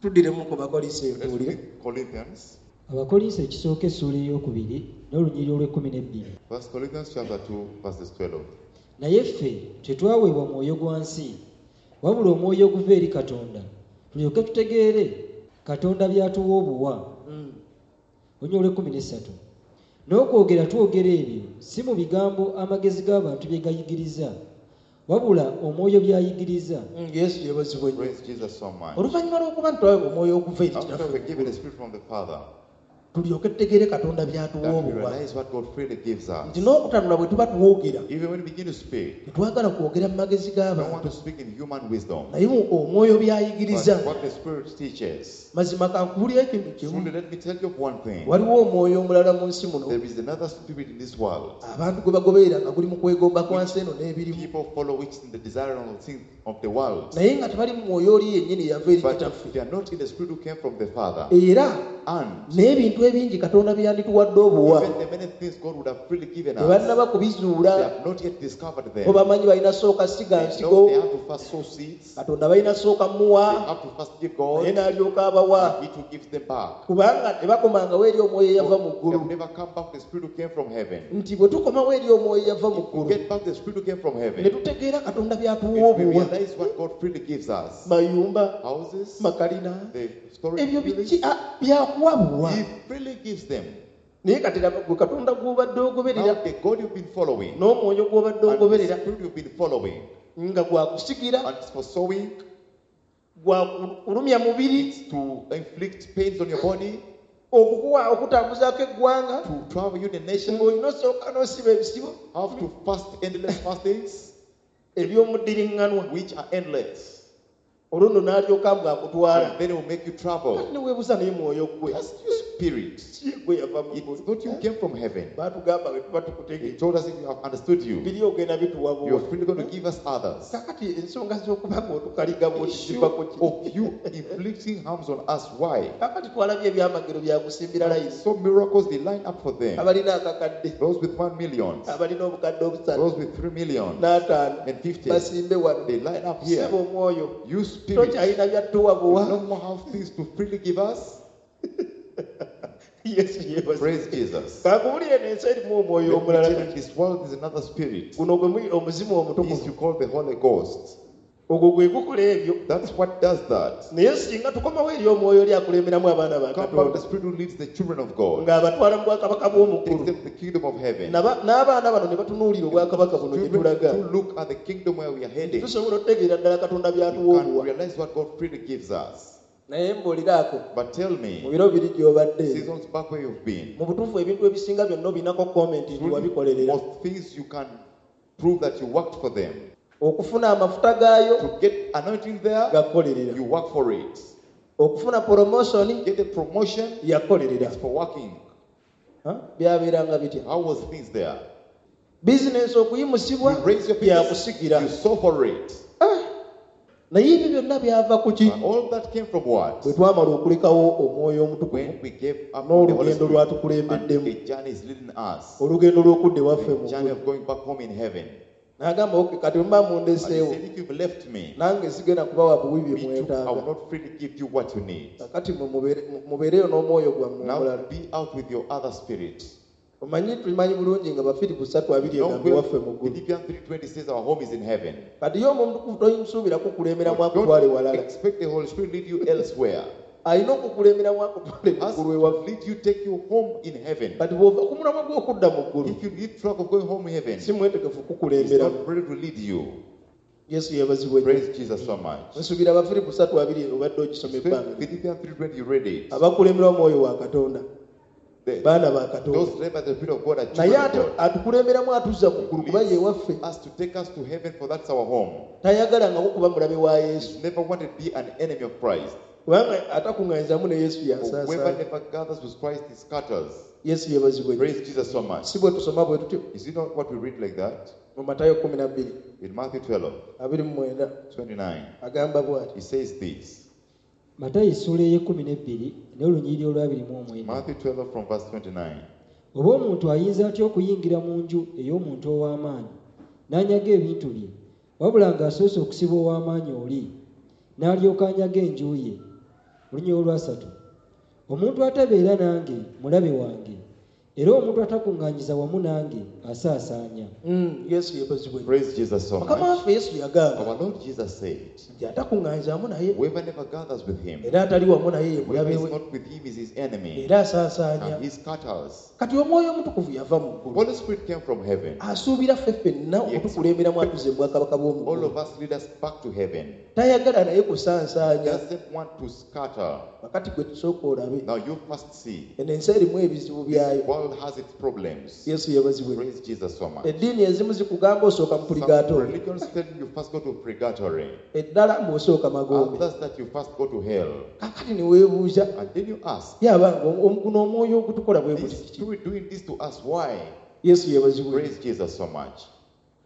tuddiremu ku Bakolinso eyo let's tuwulire. read Corinthians, Abakolinso ekisooka essuula ey'okubiri n'olunyiriri olw'ekkumi n'ebbiri. First Corinthians chapter two, verses twelve. Naye ffe tetwaweebwa mwoyo gwa nsi, wabula omwoyo oguva eri Katonda, tulyoke tutegeere Katonda by'atuwa obuwa. Mm. Olunyiriri olw'ekkumi n'essatu. N'okwogera twogera ebyo si mu bigambo amagezi g'abantu bye gayigiriza, wabula omwoyo by'ayigiriza. Mm, Yesu yeebazibwe nnyo. Praise Jesus so much. Oluvannyuma lw'okuba nti twaweebwa omwoyo oguva eri After Kitaffe we're given the Spirit from the Father, tulyoke tutegeere Katonda by'atuwa that we obuwa. realize what God freely gives us. Nti n'okutanula bwe tuba twogera Even when we begin to speak, tetwagala kwogera mu magezi we don't want g'abantu to speak in human wisdom, naye omwoyo by'ayigiriza. but what the Spirit teaches. Mazima kankubuulire ekintu kimu Truly, let me tell you of one thing. waliwo omwoyo omulala mu nsi muno There is another spirit in this world. abantu gwe bagoberera nga guli mu kwegomba kwa nsi eno n'ebirimu People follow which in the desire of the things of the world. naye nga tebali mu mwoyo oli yennyini yava eri But kitaffe they are not in the spirit who came from the Father. era And n'ebintu ebingi Katonda bye yandituwadde obuwa even the many things God would have freely given us, tebannaba they kubizuula have not yet discovered bo them. bamanyi balina sooka siga They nsigo know they have to first sow seeds, Katonda balina sooka muwa they have to first give naye God, n'alyoka abawa and He too gives them back. kubanga tebakomangawo eri omwoyo eyava mu They ggulu have never come back to the spirit who came from heaven. nti bwe tukomawo eri omwoyo eyava mu If we ggulu get back the spirit who came from ne heaven, tutegeera Katonda by'atuwa if we obuwa realize what God freely gives us, mayumba houses, makalina the storage ebyo buildings, biki ah, byakuwa buwa He freely gives them. naye kati laba gwe Katonda gw'obadde ogoberera Now the God you've been following, n'omwoyo gw'obadde and the ogoberera spirit you've been following, nga gwakusigira and it's for sowing, gwakulumya mubiri it's to inflict pains on your body, okukuwa okutambuzaako eggwanga to travel you the nation, ng'olina osooka n'osiba ebisibo have to fast endless fastings, eby'omuddiriŋŋanwa which are endless. olwo nno n'alyoka bw'akutwala And then it will make you travel. ne weebuuza naye mwoyo gwe That's your spirit. si gwe yava mu It's ggulu not you came from heaven. baatugamba bwe tuba He tukutegeera told us if you have understood you, biri ogenda bituwa you're buwa freely going to give us others. kakati ensonga z'okuba ng'otukaliga bwoti Issue zivako ki of you inflicting harms on us. Why? kakati twalabye ebyamagero byakusimbira layini So miracles they line up for them. abalina akakadde Those with one million, abalina obukadde obusatu those with three million n'ataano and fifty, basimbe wano they line up here. seba omwoyo You spirit, tokyalina byattuwa you buwa no more have things to freely give us. Yesu yeebazibwe Praise Jesus. kankubuulire n'ensi erimu omwoyo Let me omulala tell you, this world is another spirit. guno gwe muli omuzimu This omutukuvu you call the Holy Ghost. ogwo gwe gukola ebyo That's what does that. naye singa tukomawo eri omwoyo oli akulemberamu abaana ba Come back Katonda the spirit who leads the children of God, ng'abatwala mu bwakabaka takes bw'omuggulu them to the kingdom of heaven. Naba- n'abaana bano ne batunuulira obwakabaka buno gye Children tulaga to look at the kingdom where we are heading. tusobola okutegeera ddala Katonda You by'atuwa can obuwa realize what God freely gives us. naye mbuuliraako But tell mu me, biro biri gy'obadde seasons back where you've been, mu butuufu ebintu ebisinga byonna obinako komenti nti truly, wabikolerera most things you can prove that you worked for them. okufuna amafuta gaayo To get anointing there, gakolerera you work for it. okufuna promotion Get a promotion, yakolerera it's for working. Ha? Byabeeranga bitya How was things there? Bizinensi okuyimusibwa You raise your business, byakusigira. you sow for it. Naye ebyo byonna byava ku ki? But all that came from what? Bwe twamala okulekawo omwoyo omutukuvu When we gave up on the Holy n'olugendo Spirit and lwatukulembeddemu the journey is leading us. olugendo lw'okudda ewaffe mu The journey ggulu. of going back home in heaven. N'agamba "Okay, kati bwe mba And he mundeseewo said, if you've left me, nange sigenda kubawa buwi bye me too, I will mwetaaga not freely give you what you need. kakati mwe mubeere- mu- mubeereyo n'omwoyo gwammwe Now omulala. be out with your other spirit. Omanyi tumanyi bulungi nga Bafiripo ssatu abiri Now, egamba ewaffe mu ggulu. Philippians three twenty says our home is in heaven. Kati ye omwoyo omutukuvu tomusuubira kukulemberamu akutwale Don't walala. expect the Holy Spirit to lead you elsewhere. Alina okukulemberamu akutwale mu Has ggulu to ewaffe. lead you, take you home in heaven. Kati bw'ova ku mulamwa gw'okudda mu ggulu If you leave track of going home in heaven, si mwetegefu he's kukulemberamu. not ready to lead you. Yesu yeebazibwe nnyo. Praise Jesus so much. Nsuubira Abafiripo ssatu abiri obadde ogisoma ebbanga. Philippians three twenty, you read it. Abakulemberwa omwoyo wa Katonda The- baana ba Katonda. Those led by the Spirit of God are Naye children of ate God. atukulemberamu atuzza mu ggulu kuba ye waffe. Us to take us to heaven, for that's our home. Tayagalangako kuba mulabe wa Yesu. He's never wanted to be an enemy of Christ. Kubanga atakuŋŋaanyizamu ne Yesu For whoever yasaasaana. never gathers with Christ, he scatters. Yesu yeebazibwe nnyo. Praise Jesus so much. Si bwe tusoma bwe tutyo Is it not what we read like that? mu Matayo kkumi na bbiri In Matthew twelve, abiri mu mwenda twenty-nine, agamba bw'ati. he says this. Matayo essuula ey'ekkumi n'ebbiri n'olunyiriri olw'abiri mu omwenda. Matthew twelve from verse twenty-nine. Oba omuntu ayinza atya okuyingira mu nju ey'omuntu ow'amaanyi n'anyaga ebintu bye, wabula ng'asoose okusiba ow'amaanyi oli, n'alyoka anyaga enju ye. Olunyiriri olwasatu. Omuntu atabeera nange mulabe wange, era omuntu atakuŋŋaanyiza wamu nange asaasaanya. Mm, Yesu yeebazibwe nnyo. Praise Jesus so Mukama much. waffe Yesu yagamba Our Lord Jesus said, nti atakuŋŋaanyiza wamu naye whoever never gathers with him, era atali wamu naye ye whoever mulabe is we not with him is his enemy, era asaasaanya. and he scatters. Kati omwoyo omutukuvu yava mu ggulu. Holy Spirit came from heaven. Asuubira ffe ffenna okutukulemberamu atuze mu bwakabaka bw'omu All ggulu. of us lead us back to heaven. Tayagala naye kusansaanya. Doesn't want to scatter. Kakati gwe tusooka olabe. Now you must see. Eno ensi erimu ebizibu byayo. This world has its problems. Yesu yeebazibwe. Praise Jesus so much. Eddiini ezimu zikugamba osooka mu Some purigatori. religions tell you first go to purgatory. Eddala ng'osooka magombe. Others that you first go to hell. Kakati ne weebuuza And then you ask, ye abange guno omwoyo ogutukola bwe guti this kiki? spirit doing this to us, why? Yesu yeebazibwe. Praise Jesus so much.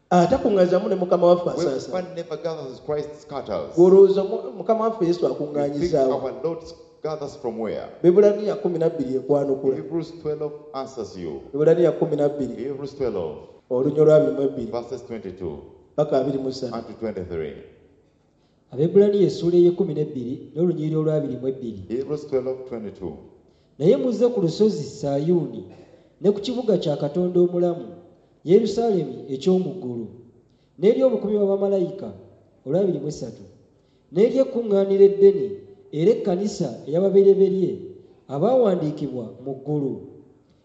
Atakuŋŋaanyizamu ne Mukama waffe asaasaanya. Whoever never gathers with Christ scatters. Gw'olowooza Mukama waffe Yesu You think akuŋŋaanyizaawo. our Lord gathers from where? Bebbulaniya kkumi na bbiri ekwanukula. Hebrews twelve answers you. Bebbulaniya kkumi na bbiri Hebrews twelve, olunyiriri lwa abiri mu ebbiri verses twenty-two paka abiri mu ssatu. and to twenty-three. Abebbulaniya essuula ey'ekkumi n'ebbiri n'olunyiriri olw'abiri mu ebbiri. Hebrews twelve, twenty-two. Naye muzze ku lusozi Sayuuni ne ku kibuga kya Katonda omulamu, Yerusaalemi eky'omu ggulu, n'eri obukumi bw'abamalayika olw'abiri mu essatu, n'eri ekkuŋŋaaniro eddene era ekkanisa ey'ababereberye abaawandiikibwa mu ggulu.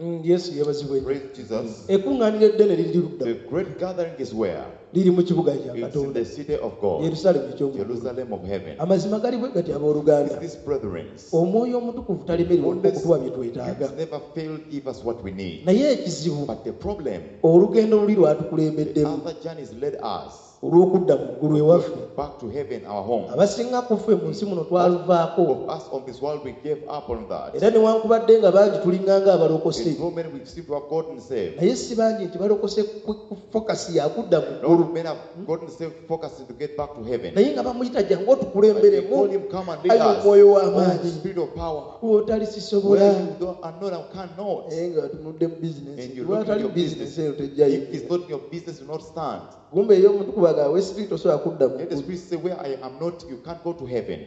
Mm, Yesu yeebazibwe. Praise Jesus. Ekkuŋŋaaniro eddene liri ludda. The great gathering is where? Liri mu kibuga kya It's in Katonda. the city of God, Yerusaalemi eky'omu ggulu. Jerusalem of heaven. Amazima gali bwe gati abooluganda. Is this, brethren? Omwoyo omutukuvu talemererwa Holy okutuwa bye twetaaga. Spirit never failed give us what we need. Naye ekizibu But the problem, olugendo luli the lwatukulembeddemu other journeys led us olw'okudda mu ggulu ewaffe. back to heaven, our home. Abasinga ku ffe mu nsi muno twaluvaako. Of us on this world, we gave up on that. Era newankubadde nga bangi tulinganga abalokose. There's so many we seem to have gotten saved. Naye si bangi nti balokose ku ku fokasi yakudda mu ggulu. Not many have gotten saved focusing to get back to heaven. Naye nga bamuyita jangu But they otukulemberemu call him, come and lead ayi us. omwoyo Oh, w'amaanyi. spirit of power. W'otali sisobola. Where you don't, are not and cannot. Naye nga otunudde mu bizinensi. And you look at Lwatali your bizinensi business. eyo tejjayo. If it's not in your business, you will not stand. Kumbe ey'omuntu kubaga we spirit osobola kudda mu Let the ggulu. Spirit say, where I am not, you can't go to heaven.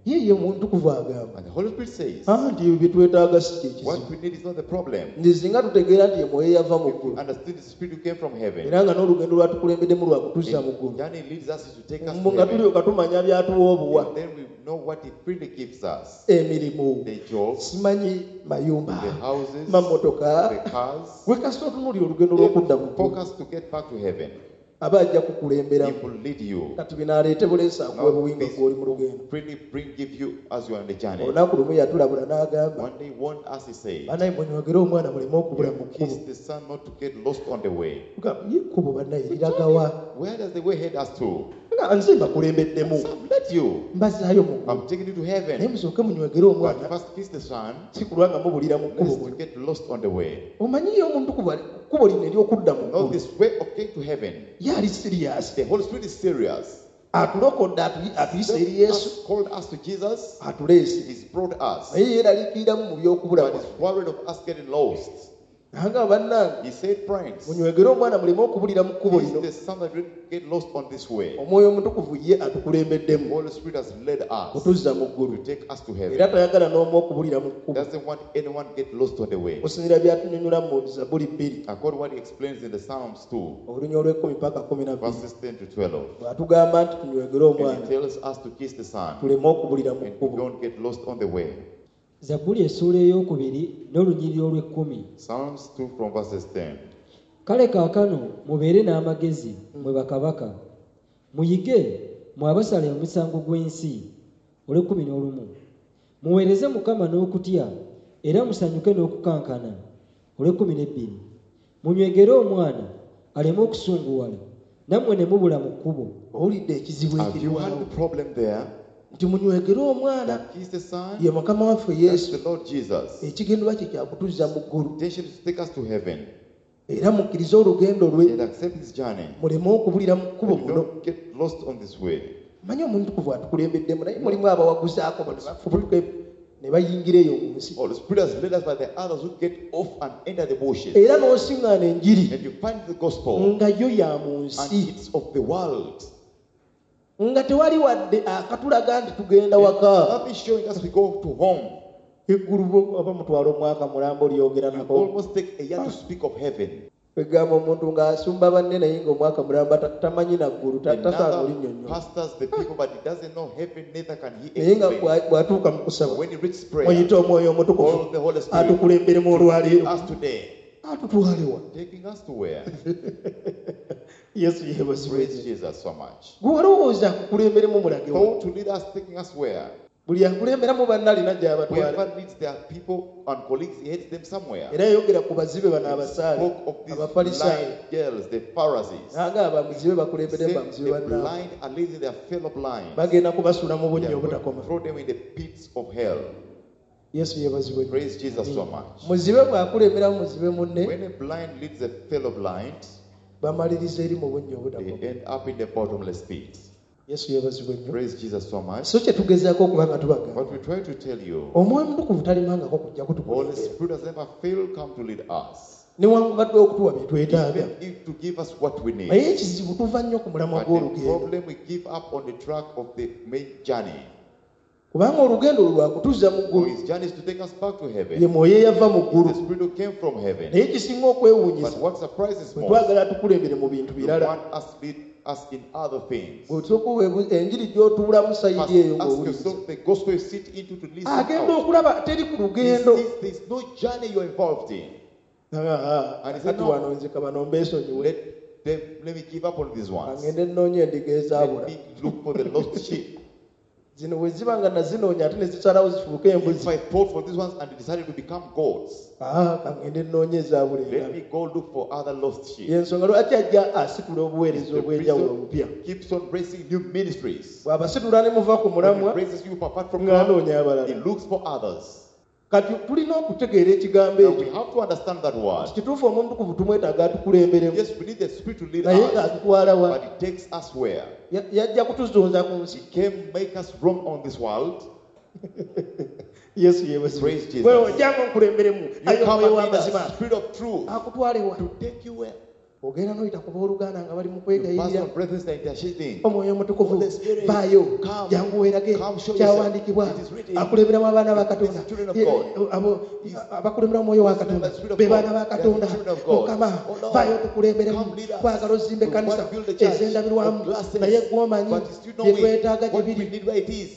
Ye ye omutukuvu agamba. And the Holy Spirit says, Ah, nti ebyo bye twetaaga si kye kizibu. what we need is not the problem. Nti singa tutegeera nti omwoyo yava mu If we ggulu. understand the Spirit who came from heaven, Era nga n'olugendo lwatukulembeddemu lwa kutuzza mu ggulu. the journey leads us is to take us Mbu to nga heaven. tulyoka tumanya by'atuwa obuwa. And then we know what He freely gives us. Emirimu. The jobs, Simanyi mayumba. the houses, Mamotoka. the cars. Gwe kasita otunuulira olugendo lw'okudda mu ggulu. Focus to get back to heaven. Aba ajja He kukulemberamu. will lead you. Kati bino aleete buleesi akuwe Now, buwinga this gw'oli mu lugendo. freely bring give you as you are on the journey. Olunaku lumu yatulabula n'agamba, One day, warned us, he said, bannaye munywegere omwana muleme okubula mu kkubo. kiss the son not to get lost on the way. Tugamba, ye ekkubo bannaye liragawa? Where does the way head us to? Nga Nga nze mbakulembeddemu So I've led you. Mbazzaayo mu ggulu I'm taking you to naye heaven. musooke munywegere But omwana first kiss the Son, si kulwa nga mubulira mu kkubo lest you muno. get lost on the way. Omanyiyo omuntu kkubo lino ery'okudda mu Know ggulu this way of getting to heaven. ye ali serious The Holy Spirit is serious. Atulokodde atuyi- atuyise eri Yesu Us, called us to Jesus, atuleese He's brought us. naye yeeraliikiriramu mu by'okubula But he's worried of us getting lost. Nanga bannange He said, friends, munywegere omwana muleme okubulira mu kkubo this lino is the son that will get lost on this way. Omwoyo omutukuvu ye The atukulembeddemu Holy Spirit has led us kutuzza mu ggulu to take us to era heaven. tayagala n'omu okubulira mu kkubo Doesn't want anyone get lost on the way. Okusinziira byatunyonyola mu Zabuli bbiri According to what he explains in the Psalms two, olunya olw'ekkumi paka kumi na bbiri verses ten to twelve. Bw'atugamba nti tunywegere And omwana he tells us to kiss the Son tuleme okubulira mu and kkubo don't get lost on the way. Zabbuli essuula ey'okubiri n'olunyiriri olw'ekkumi. Psalms two from verses ten. Kale kaakano mubeere n'amagezi mmwe bakabaka muyige mwe abasala omusango gw'ensi olw'ekkumi n'olumu muweereze Mukama n'okutya era musanyuke n'okukankana olw'ekkumi n'ebbiri munywegere omwana aleme okusunguwala nammwe ne mubula mu kkubo. Owulidde ekizibu Have you had ekiriwawo the problem there? Nti munywegere omwana That kiss the Son? ye Mukama waffe That's Yesu the Lord Jesus. Ekigendwa kye kyakutuzza mu ggulu Intention is to take us to heaven era mukkirize olugendo lwe and accept his journey. Muleme okubulira mu kkubo And muno don't get lost on this way. Manyi omuntu atukulembeddemu naye mulimu abawaguzaako bano bafubutuke ne bayingira eyo mu nsi Holy Spirit has led us by the others who get off and enter the bushes. Era n'osiŋŋaana enjiri And you find the gospel nga yo ya mu and nsi it's of the world. Nga tewali wadde akatulaga nti tugenda waka Nothing showing us we go to home. Eggulu bo- oba mutwala omwaka mulambo lyogera You nako almost take a year to speak of heaven. Kwegamba omuntu ng'asumba banne naye ng'omwaka mulamba ta- tamanyi naggulu ta- tasaana Another olinnyonnyola pastors the people, but he doesn't know heaven, neither can he naye nga explain. bwa- bw'atuuka mu kusaba When he reaches prayer, muyite omwoyo omutukuvu all the Holy Spirit atukulemberemu olwaleero us today, atutwalewa taking us to where? Yesu yeebazibwe Praise Jesus so much. Gwe walowooza akukulemberemu mulagewa Thought to lead us, taking us where? Buli akulemberamu banne alina gy'abatwala Whoever leads their people and colleagues, he heads them somewhere. Era yayogera ku bazibe bano abasaale Spoke of these abafalisaayo blind girls, the Pharisees. Nanga abamuzibe bakulembere Said bamuzibe the bannaabwe blind are leading their fellow blind. Bagenda kubasuula mu They bunnya are going to obutakoma throw them in the pits of hell. Yesu yeebazibwe nnyo. Praise Jesus so much. Muzibe bw'akulemberamu muzibe munne When a blind leads a fellow blind, bamaliriza eri mu bunnya obutakoma they end up in the bottomless pit. Yesu yeebazibwe nnyo Praise Jesus so much. So kye tugezaako okuba nga tubagamba What we try to tell you, omwoyo omutukuvu talimangako kujja Holy kutukulembera Spirit has never failed come to lead us. Newankubadde okutuwa bye twetaaga Even if to give us what we need. Naye ekizibu tuva nnyo ku mulamwa But the gw'olugendo problem, we give up on the track of the main journey. Kubanga olugendo lwe lwakutuzza mu For ggulu his journey is to take us back to ye heaven. mwoyo eyava mu ggulu The Spirit who came from heaven. Naye ekisinga okwewuunyisa But what surprises bwe most, twagala tukulembere mu bintu you birala want us lead us in other things. Bw'osooka weebu- enjiri gy'otuulamu First, sayidi eyo ask ng'owuliriza yourself the gospel you sit into to listen agenda out. okulaba teri ku He lugendo sees there's no journey you're involved in. Ah, And he said, kati "No." wano nze kabano mbeesonyiwe Let them, let me give up on these ones. angende nnoonya endiga ezaabula Let me look for the lost sheep. Zino bwe ziba nga nazinoonya ate ne zisalawo zifuuke embuzi If I fought for these ones and they decided to become goats, Ah, kangende nnoonya ezaabula let endala me go look for other lost sheep. Yensonga lwaki ajja asitula obuweereza The obw'enjawulo reason obupya keeps on raising new ministries. Bw'abasitula ne muva ku When he mulamwa raises you apart from ng'anoonya God, he abalala looks for others. Kati tulina okutegeera ekigambo Now we ekyo have to understand that word. Kituufu omutukuvu tumwetaaga atukulemberemu Yes, we need the Spirit to lead naye us, ng'atutwala wa but it takes us where? Ya- yajja kutuzunza ku nsi He came make us wrong on this world. Yesu yeebazibwe. Praise Jesus. Gwe ojjanga onkulemberemu You aye come omwoyo and lead w'amazima us, Spirit of truth, akutwalewa to take you where? Ogenda n'oyita ku booluganda nga bali mu You kwegayirira pass on brethren that interceding. omwoyo omutukuvu Holy Spirit, vaayo come. jangu weerage Come show kyawandiikibwa yourself. It is written. akulemberamu abaana ba Katonda It's the children of Ye- God. abo- abakulemberamu omwoyo wa Katonda The Spirit of be God. baana ba They are the Katonda children of God. Mukama Oh Lord, vaayo tukulemberemu come lead us. twagala ozimba We ekkanisa want to build the church ez'endabirwamu of glasses. naye gwomanyi But you still know bye it. twetaaga gye What we biri need where it is.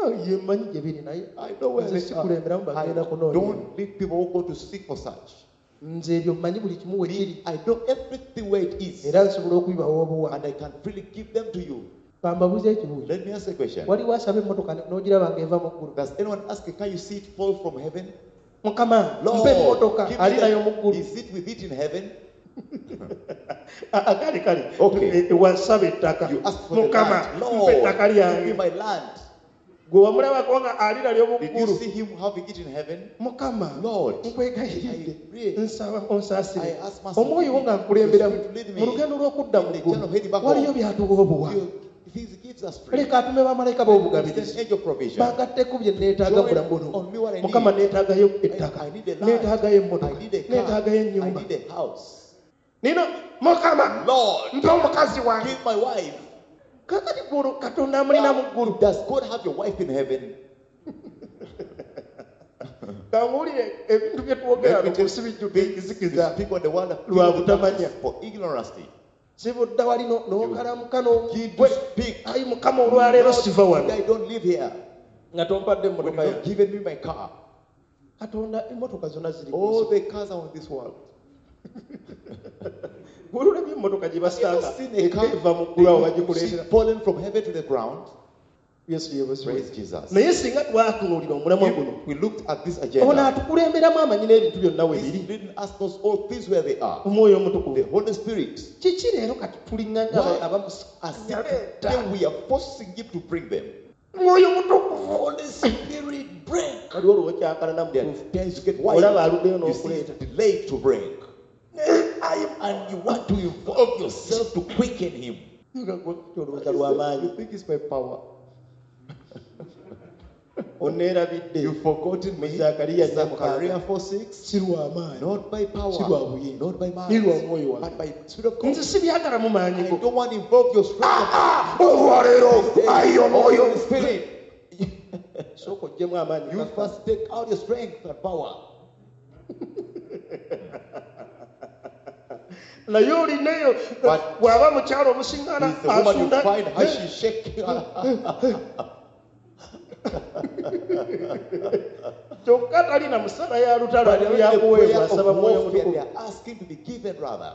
Ah, ye mmanyi gye biri naye I know where nze they sikulemberamo are. I bagenda kunoonya don't lead people who go to seek for such. Nze ebyo mmanyi buli kimu we kiri Me, I know everything where it is. Era nsobola okubibawa obuwa And I can freely give them to you. Kambabuze ekibuuzo Let me ask a question. waliwo asaba emmotoka n'ogiraba ng'eva mu ggulu Does anyone ask, can you see it fall from heaven? Mukama Lord, mpa emmotoka give me ali nayo mu that. ggulu Is it with it in heaven? Ah, ah, kale kale Okay. Eh, eh, wasaba ettaka You ask for the mukama land. mpa Lord, ettaka give me lyange my land. gwe wamulabako nga alira Did you ly'omuggulu see him having it in heaven? mukama Lord, nkwegayiridde I pray. nsaba onsaasire I ask mercy omwoyo wo to nga me. nkulemberamu Your spirit lead me. mu lugendo lw'okudda mu In the ggulu journey of heading back waliyo home. byatuwa obuwa You- Things gives us free. leka atume bamalayika b'obugabirizi Send angel provision. bangatteko bye neetaaga Join bulamu buno on me what I need. mukama neetaagayo ettaka I, I need a land. neetaagayo emmotoka I need a car. neetaagayo I ennyumba need a house. nina mukama Lord, mpa omukazi wange give my wife. kakati ggulu katonda amulina mu ggulu Does God have your wife in heaven? kanguwulire ebintu bye twogera Let me ku nsi tell you, bijjudde we enzikiza speak on the world of Lwa butamanya. for ignorance. sibudda wali no- n'okalamuka Begin n'ogwe to speak. ayi mukama olwaleero siva wano I don't live here. nga tompadde When emmotoka you've yange not given me my car. katonda emmotoka zonna ziri ku All nsi. the cars are on this world. Bw'olulabye emmotoka gye You basanga ever seen a car eva mu ggulu awo you see bagikuleetera fallen from heaven to the ground? yesu yeebazibwe Praise Jesus. naye singa twatunuulira omulamwa guno If we looked at this ono agenda, atukulemberamu amanyi n'ebintu byonna we He's biri leading us knows all things where they are. omwoyo The omutukuvu Holy Spirit. kiki leero kati tulinganga Why? abamusikaleeta As if today we are forcing him to bring them. mwoyo mutukuvu Holy Spirit, bring. waliwo olwokyakalana There mutuufu are times you get wild. olaba aluddeyo You see, n'okuleeta it's delayed to bring. Ayi, And you want to involve yourself to quicken him. olowooza lw'amaanyi You think it's by power. oneerabidde You've forgotten me. Mu Zakariya nnya Zechariah mukaaga. four six. si lw'amaanyi Not by power, Si lwa buyinza. not by might, Ni lwa mwoyo wange. but by Spirit of God. nze sibyagala mu maanyi I go don't want to involve your strength. olwaleero ayi omwoyo Holy Spirit. sooka oggyemu amaanyi You first take out your strength and power. naye olineyo But bw'aba mukyalo omusiŋŋaana He's the woman you asunda find how she shake. kyokka talina musala ya lutalo But ali in the prayer yakuweebwa of asaba mwoyo warfare, they mutukuvu are asking to be given rather.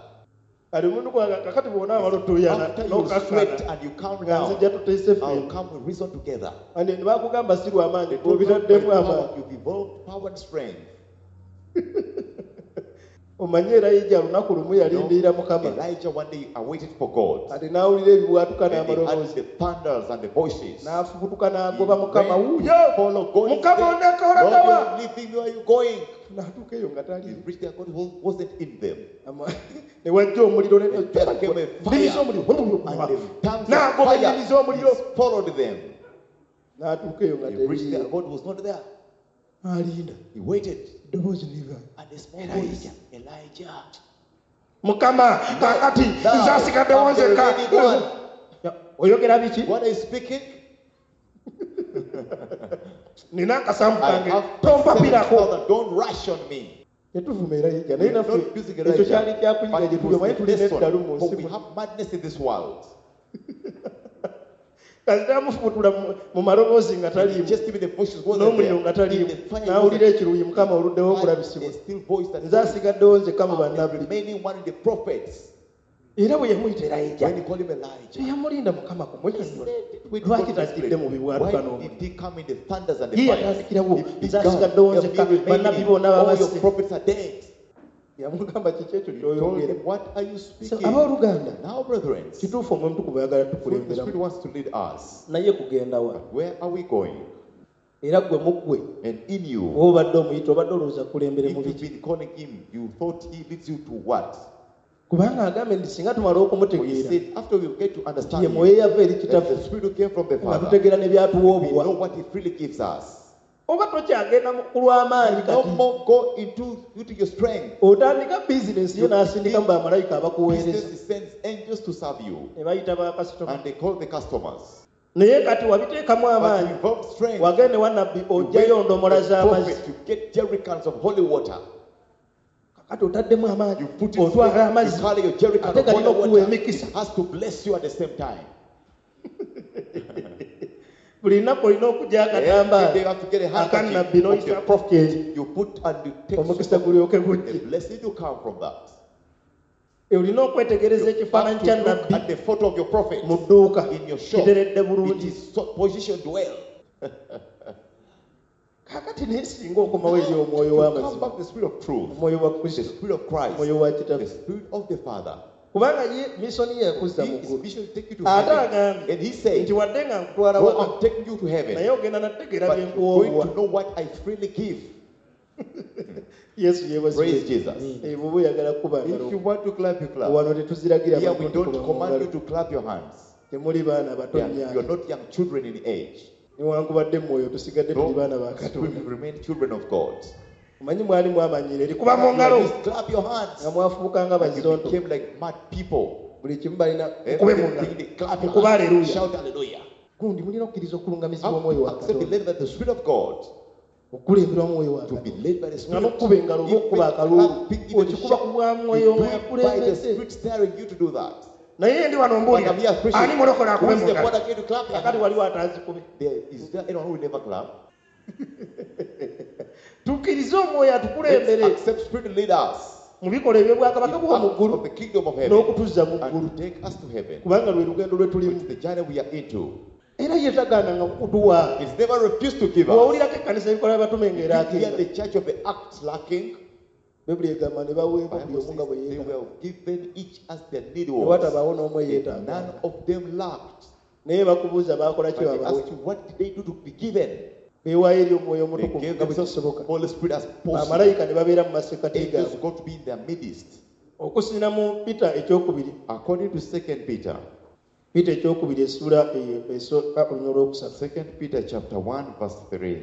kali omuntu gwanga kakati bw'onaamala otuuyana After you sweat n'okakkana and you calm nga down, nzija tuteese I'll ffenna come we reason together. and ne bakugamba si lw'amaanyi They told you by obitaddemu power, amaanyi you've evolved power and strength. omanye erayija lunaku lumu You know, yalindirira mukama Elijah one day awaited for God. kati n'awulira ebibwatuka And he heard n'amaloboozi the thunders and the voices. n'afubutuka He n'agoba mukama went to wuuyo follow God. mukama Lord, ondeka olagawa you're leaving me, where are you going? n'atuuka eyo nga He taliiwo reached there, God was- wasn't in them. Ama- ne wajja omuliro ne- And there came a fire. nnimi z'omuliro And the tongues of n'agoba fire ennimi z'omuliro followed them. n'atuuka eyo nga He reached there, teriiyo God was not there. alinda He waited. eddoboozi liva And a small voice, Elijah. mukama kakati Now, nze asigaddewo I'm the nzekka remaining one. oyogera biki What are you speaking? nina akasambu I kange have tompapirako seven thousand. Don't rush on me. tetuvuma erayija We naye are naffe not using ekyo Elijah. kyali kyakuyiga But gye it tuli omanyi was the tulina lesson. eddalu mu For nsi we muno have madness in this world. kasita amufubutula mu- mu maloboozi nga taliimu Just even the voices wasn't n'omuliro there. nga taliimu In the fire n'awulira wasn't- ekiruyi mukama oluddewo Had okulabisibwa a still voice that nze asigaddewo nzekka mu I'm the bannabbi remaining one in the prophets. era bwe yamuyita erayija When he called him Elijah, teyamulinda mukama kumwenyonyola wait, lwaki God tajjidde mu explained, bibwatuka why n'omuliro did he come in the thunders and the ye fire? yatandikirawo He nze began, asigaddewo "The nzekka remaining, bannabbi bonna all babasse your prophets are dead. yamugamba kiki ekyo He told ky'oyogera him, what are you So, speaking? abooluganda Now, brethren, kituufu omwoyo omutukuvu ayagala the Spirit tukulemberamu wants to lead us. naye kugenda wa Where are we going? era gwe muggwe And in you, oba obadde omuyita obadde olowooza kulembere if mu you've biki been calling him, you thought he leads you to what? kubanga agambye nti singa tumala For he okumutegeera said, after we get to understand ye him, mwoyo yava eri that kitaffe the Spirit who came from the nga Father, tutegeera ne byatuwa we obuwa know what he freely gives us. oba tokyagenda mu- ku lw'amaanyi No kati more go into, into your strength. otandika bizinensi yo n'asindikamu bamalayika abakuweereza Business, he sends angels to serve you. ne bayita bakasitoma And they call the customers. naye kati wabiteekamu But amaanyi involve strength. wagende wa nabbi You ojjayo went ndomola to the z'amazzi prophet, you get jerrycans of holy water. kakati otaddemu amaanyi You put it otwala you amazzi carry your jerrycan ate of holy galina okuwa water. emikisa It has to bless you at the same time. buli lunaku olina okujja Every day you akatambaala have to get a akannabbi handkerchief of the n'oyisa prophet. You put and you take omukisa gulyoke the gujje blessing to come from that. olina okwetegereza You ekifaananyi have kya to look nabbi at the photo of your prophet mu dduuka in your shop. kiteredde It bulungi is so positioned well. Kakati naye singa okomawo eri omwoyo You come w'amazima, back the spirit of truth, omwoyo wa the Kristo, spirit of Christ, omwoyo wa the Kitaffe, spirit of the Father. kubanga ye misoni ye yakuzza He mu is ggulu, mission to take you to ate heaven. agambye And he said, nti wadde nga nkutwala "Go, waka, I'm taking you to heaven, naye ogenda nategeera but bye you're going nkuwa to obuwa. know what I freely give." Yesu yeebazibwe. Praise Jesus. Eh, bw'oba oyagala kukuba If ngalo, you want to clap, you clap. wano tetuziragira Here we bantu don't kukuba mu command ngalo. you to clap your hands. Temuli baana bato Yeah, nnyo. you are not young children in age. Newankubadde mu mwoyo tusigadde tuli No, baana ba Katonda. we remain children of God. Omanyi mwali mwamanyira eri kuba mu ngalo, You clap your hands. nga mwafuuka nga And you bazonto. became like mad people. Buli kimu balina mukube mu ngalo. Everything they clap your Mukube hands. hallelujah. Shout hallelujah. Gundi mulina okukkiriza okulungamizibwa How omwoyo to wa accept the Katonda. lead by the Spirit of God. Okukulemberwa omwoyo wa To be Katonda. led by the Nga Spirit. n'okukuba engalo oba Even okukuba akaluulu, clapping, even okikuba shout, ku bwa you mwoyo do nga it by the yakulembedde. Spirit steering you to do that. Naye ndi wano But mbuulira, I'm here preaching. ani mulokole Who akube is mu the ngalo? born again to clap their Kakati hands? waliwo ataazikube. There is there anyone who will never clap? Tukkirize omwoyo atukulembere Let's accept Spirit to lead us mu bikolwa eby'obwakabaka in bw'omu acts ggulu of the kingdom of heaven n'okutuzza mu ggulu, and to take us to heaven. kubanga lwe lugendo lwe tulimu. It's the journey we are into. Era ye tagaananga kukutuwa. It's never refused to give us. Bw'owulirako ekkanisa ebikola by'abatume You hear ng'eraakinga, the church of the Acts lacking. Bayibuli egamba ne baweebwa buli Bible omu nga bwe says they yeetaaga. were given each as their need Ne was. watabaawo n'omu And eyeetaaga. none of them lacked. Naye bakubuuza baakola ki But they babawe? asked you, what did they do to be given? Beewaayo eri omwoyo They omutukuvu gave nga bwe themselves kisoboka. Holy Spirit as possible. Bamalayika ne babeera mu masekkati Angels gaabwe. got to be in their midst. Okusinziira mu Peter ekyokubiri, According to Second Peter, Peter ekyokubiri essuula eyo esooka olunyiriri olwokusatu. Second Peter chapter one verse three.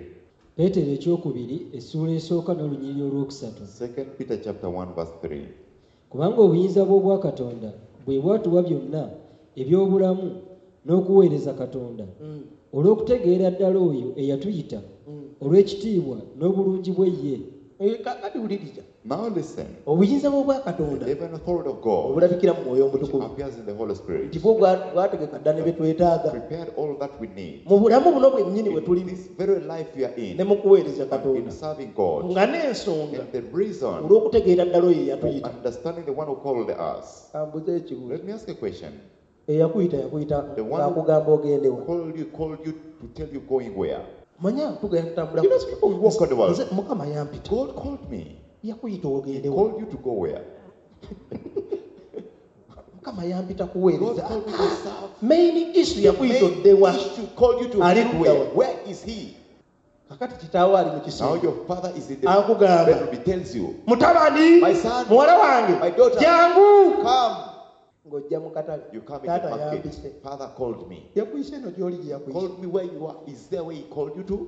Peetero ekyokubiri essuula esooka n'olunyiriri olwokusatu. Second Peter chapter one verse three. Kubanga obuyinza bw'obwakatonda bwe bwatuwa byonna eby'obulamu n'okuweereza Katonda, Mm. olw'okutegeera ddala oyo eyatuyita Mm. olw'ekitiibwa n'obulungi bwe ye. Eh, kakati wuliriza. Now listen. Obuyinza bw'obwakatonda The divine authority of God obulabikira mu mwoyo which omutukuvu appears in the Holy Spirit nti bwo bwa- bwategeka dda ne bye twetaaga prepared all that we need mu bulamu buno bwennyini bwe in tulimu this very life we are in ne mu kuweereza and Katonda, in serving God. nga n'ensonga And the reason olw'okutegeera ddala oyo for eyatuyita. understanding the one who called us. Kambuze ekibuuzo. Let me ask a question. Eyakuyita yakuyita The one who ng'akugamba ogende wa? called you, called you to tell you going where? Manya tugenda tutambula You know, people who walk on the world. Nze Mukama yampita. God called me. Yakuyita He ogende wa? called you to go where? Mukama yampita God kuweereza. called me to serve. Main issue The yakuyita main odde wa? issue called you to Ali do where? ludda wa? Where is he? Kakati kitaawo ali mu Now kisenge. your father is in the Akugamba, bedroom. He tells you, mutabani, My son, muwala wange, my daughter, jangu. come. Ng'ojja mu katale. You come in the Taata market. yampise. Father called me. Yakuyise eno gy'oli gye yakuyise. Called me where you are. Is there where he called you to?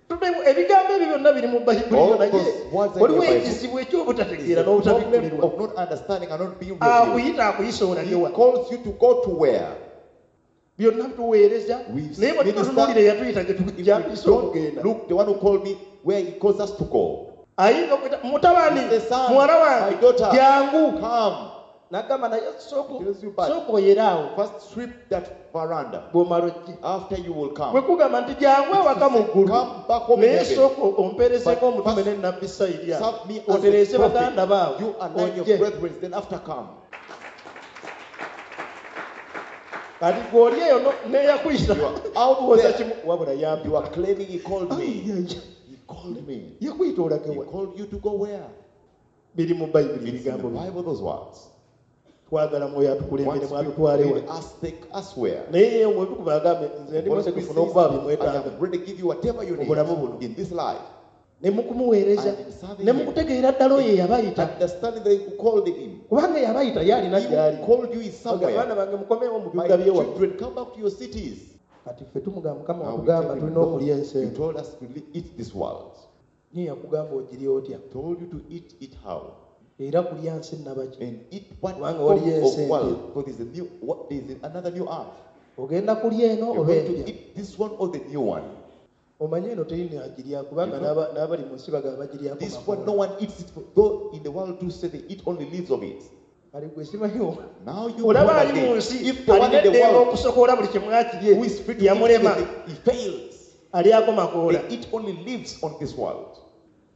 Tubeemu ebigambo ebyo byonna biri mu Bayibuli All naye those words are in waliwo the Bible. ekizibu It's eky'obutategeera the problem n'obutabikkulirwa. of not understanding and not being revealed. Akuyita akuyisa olage He wa? calls you to go to where? Byonna tuweereza We naye bwe minister- tutunuulira eyatuyita gye If we gyatuyisa okugenda. don't look, the one who called me, where he calls us to go. Ayinza okuyita mutabani, He says, son, muwala wange, my daughter, jangu. Come. N'agamba naye sooka He tells you, but sooka oyere awo first sweep that veranda. bw'omala ojje. After you will Bwe come. kugamba nti jangu ewaka mu ggulu, Come back home in naye heaven. sooka ompeerezeko But omutume first ne nnabbi sayiri awo, Serve me as a otereeze baganda prophet. baawo, You align your ojje. brethren, then after come. Kati gwe oli eyo no- n'eyakuyita You are out oza there. kimu wabula yambi. You are claiming he called me. Ai, ai, ai. He called me. Yakuyita olage He wa? called you to go where? Biri mu Bayibuli It's in the ebigambo bino. Bible, those words. Twagala mwoyo atukulembere Once mwatutwale we wa. lead us, take us where? Naye ye omwoyo agambe nze ndi Holy mutegefu Spirit says, n'okuba I bimwetaaga am ready to give you whatever you mu bulamu buno. need in this life. Ne mu kumuweereza, And in serving ne mu him. kutegeera ddala oyo eyabayita. Understanding that he called him. Kubanga eyabayita ye alina He gy'ali. who called you is Bagamba, somewhere. baana bange mukomewo mu My bibuga by'ewammwe. children, come back to your cities. Kati ffe tumugamba Mukama Now we watugamba tell him, tulina Lord, okulya ensi you eno. told us to li- eat this world. Naye yakugamba ogirye otya? Told you to eat it how? Era kulya nsi nnabaki? And eat what Kubanga form waliyo ensi of empya. world? Because there's a new, what, there's another new earth. Ogenda kulya eno You're oba going to empya? eat this one or the new one. Omanyi eno terina agirya kubanga You know- n'aba- n'abali mu nsi bagamba bagiryako This makoola. one, no one eats it. Though in the world too say they eat only leaves of it. Kale gwe simanyi o- Now you olaba born ali mu again. nsi If the one alina in the eddembe world okusokoola buli kimu akirye who is free to eat yamulema anything, he fails. alyako makoola. They eat only leaves on this world.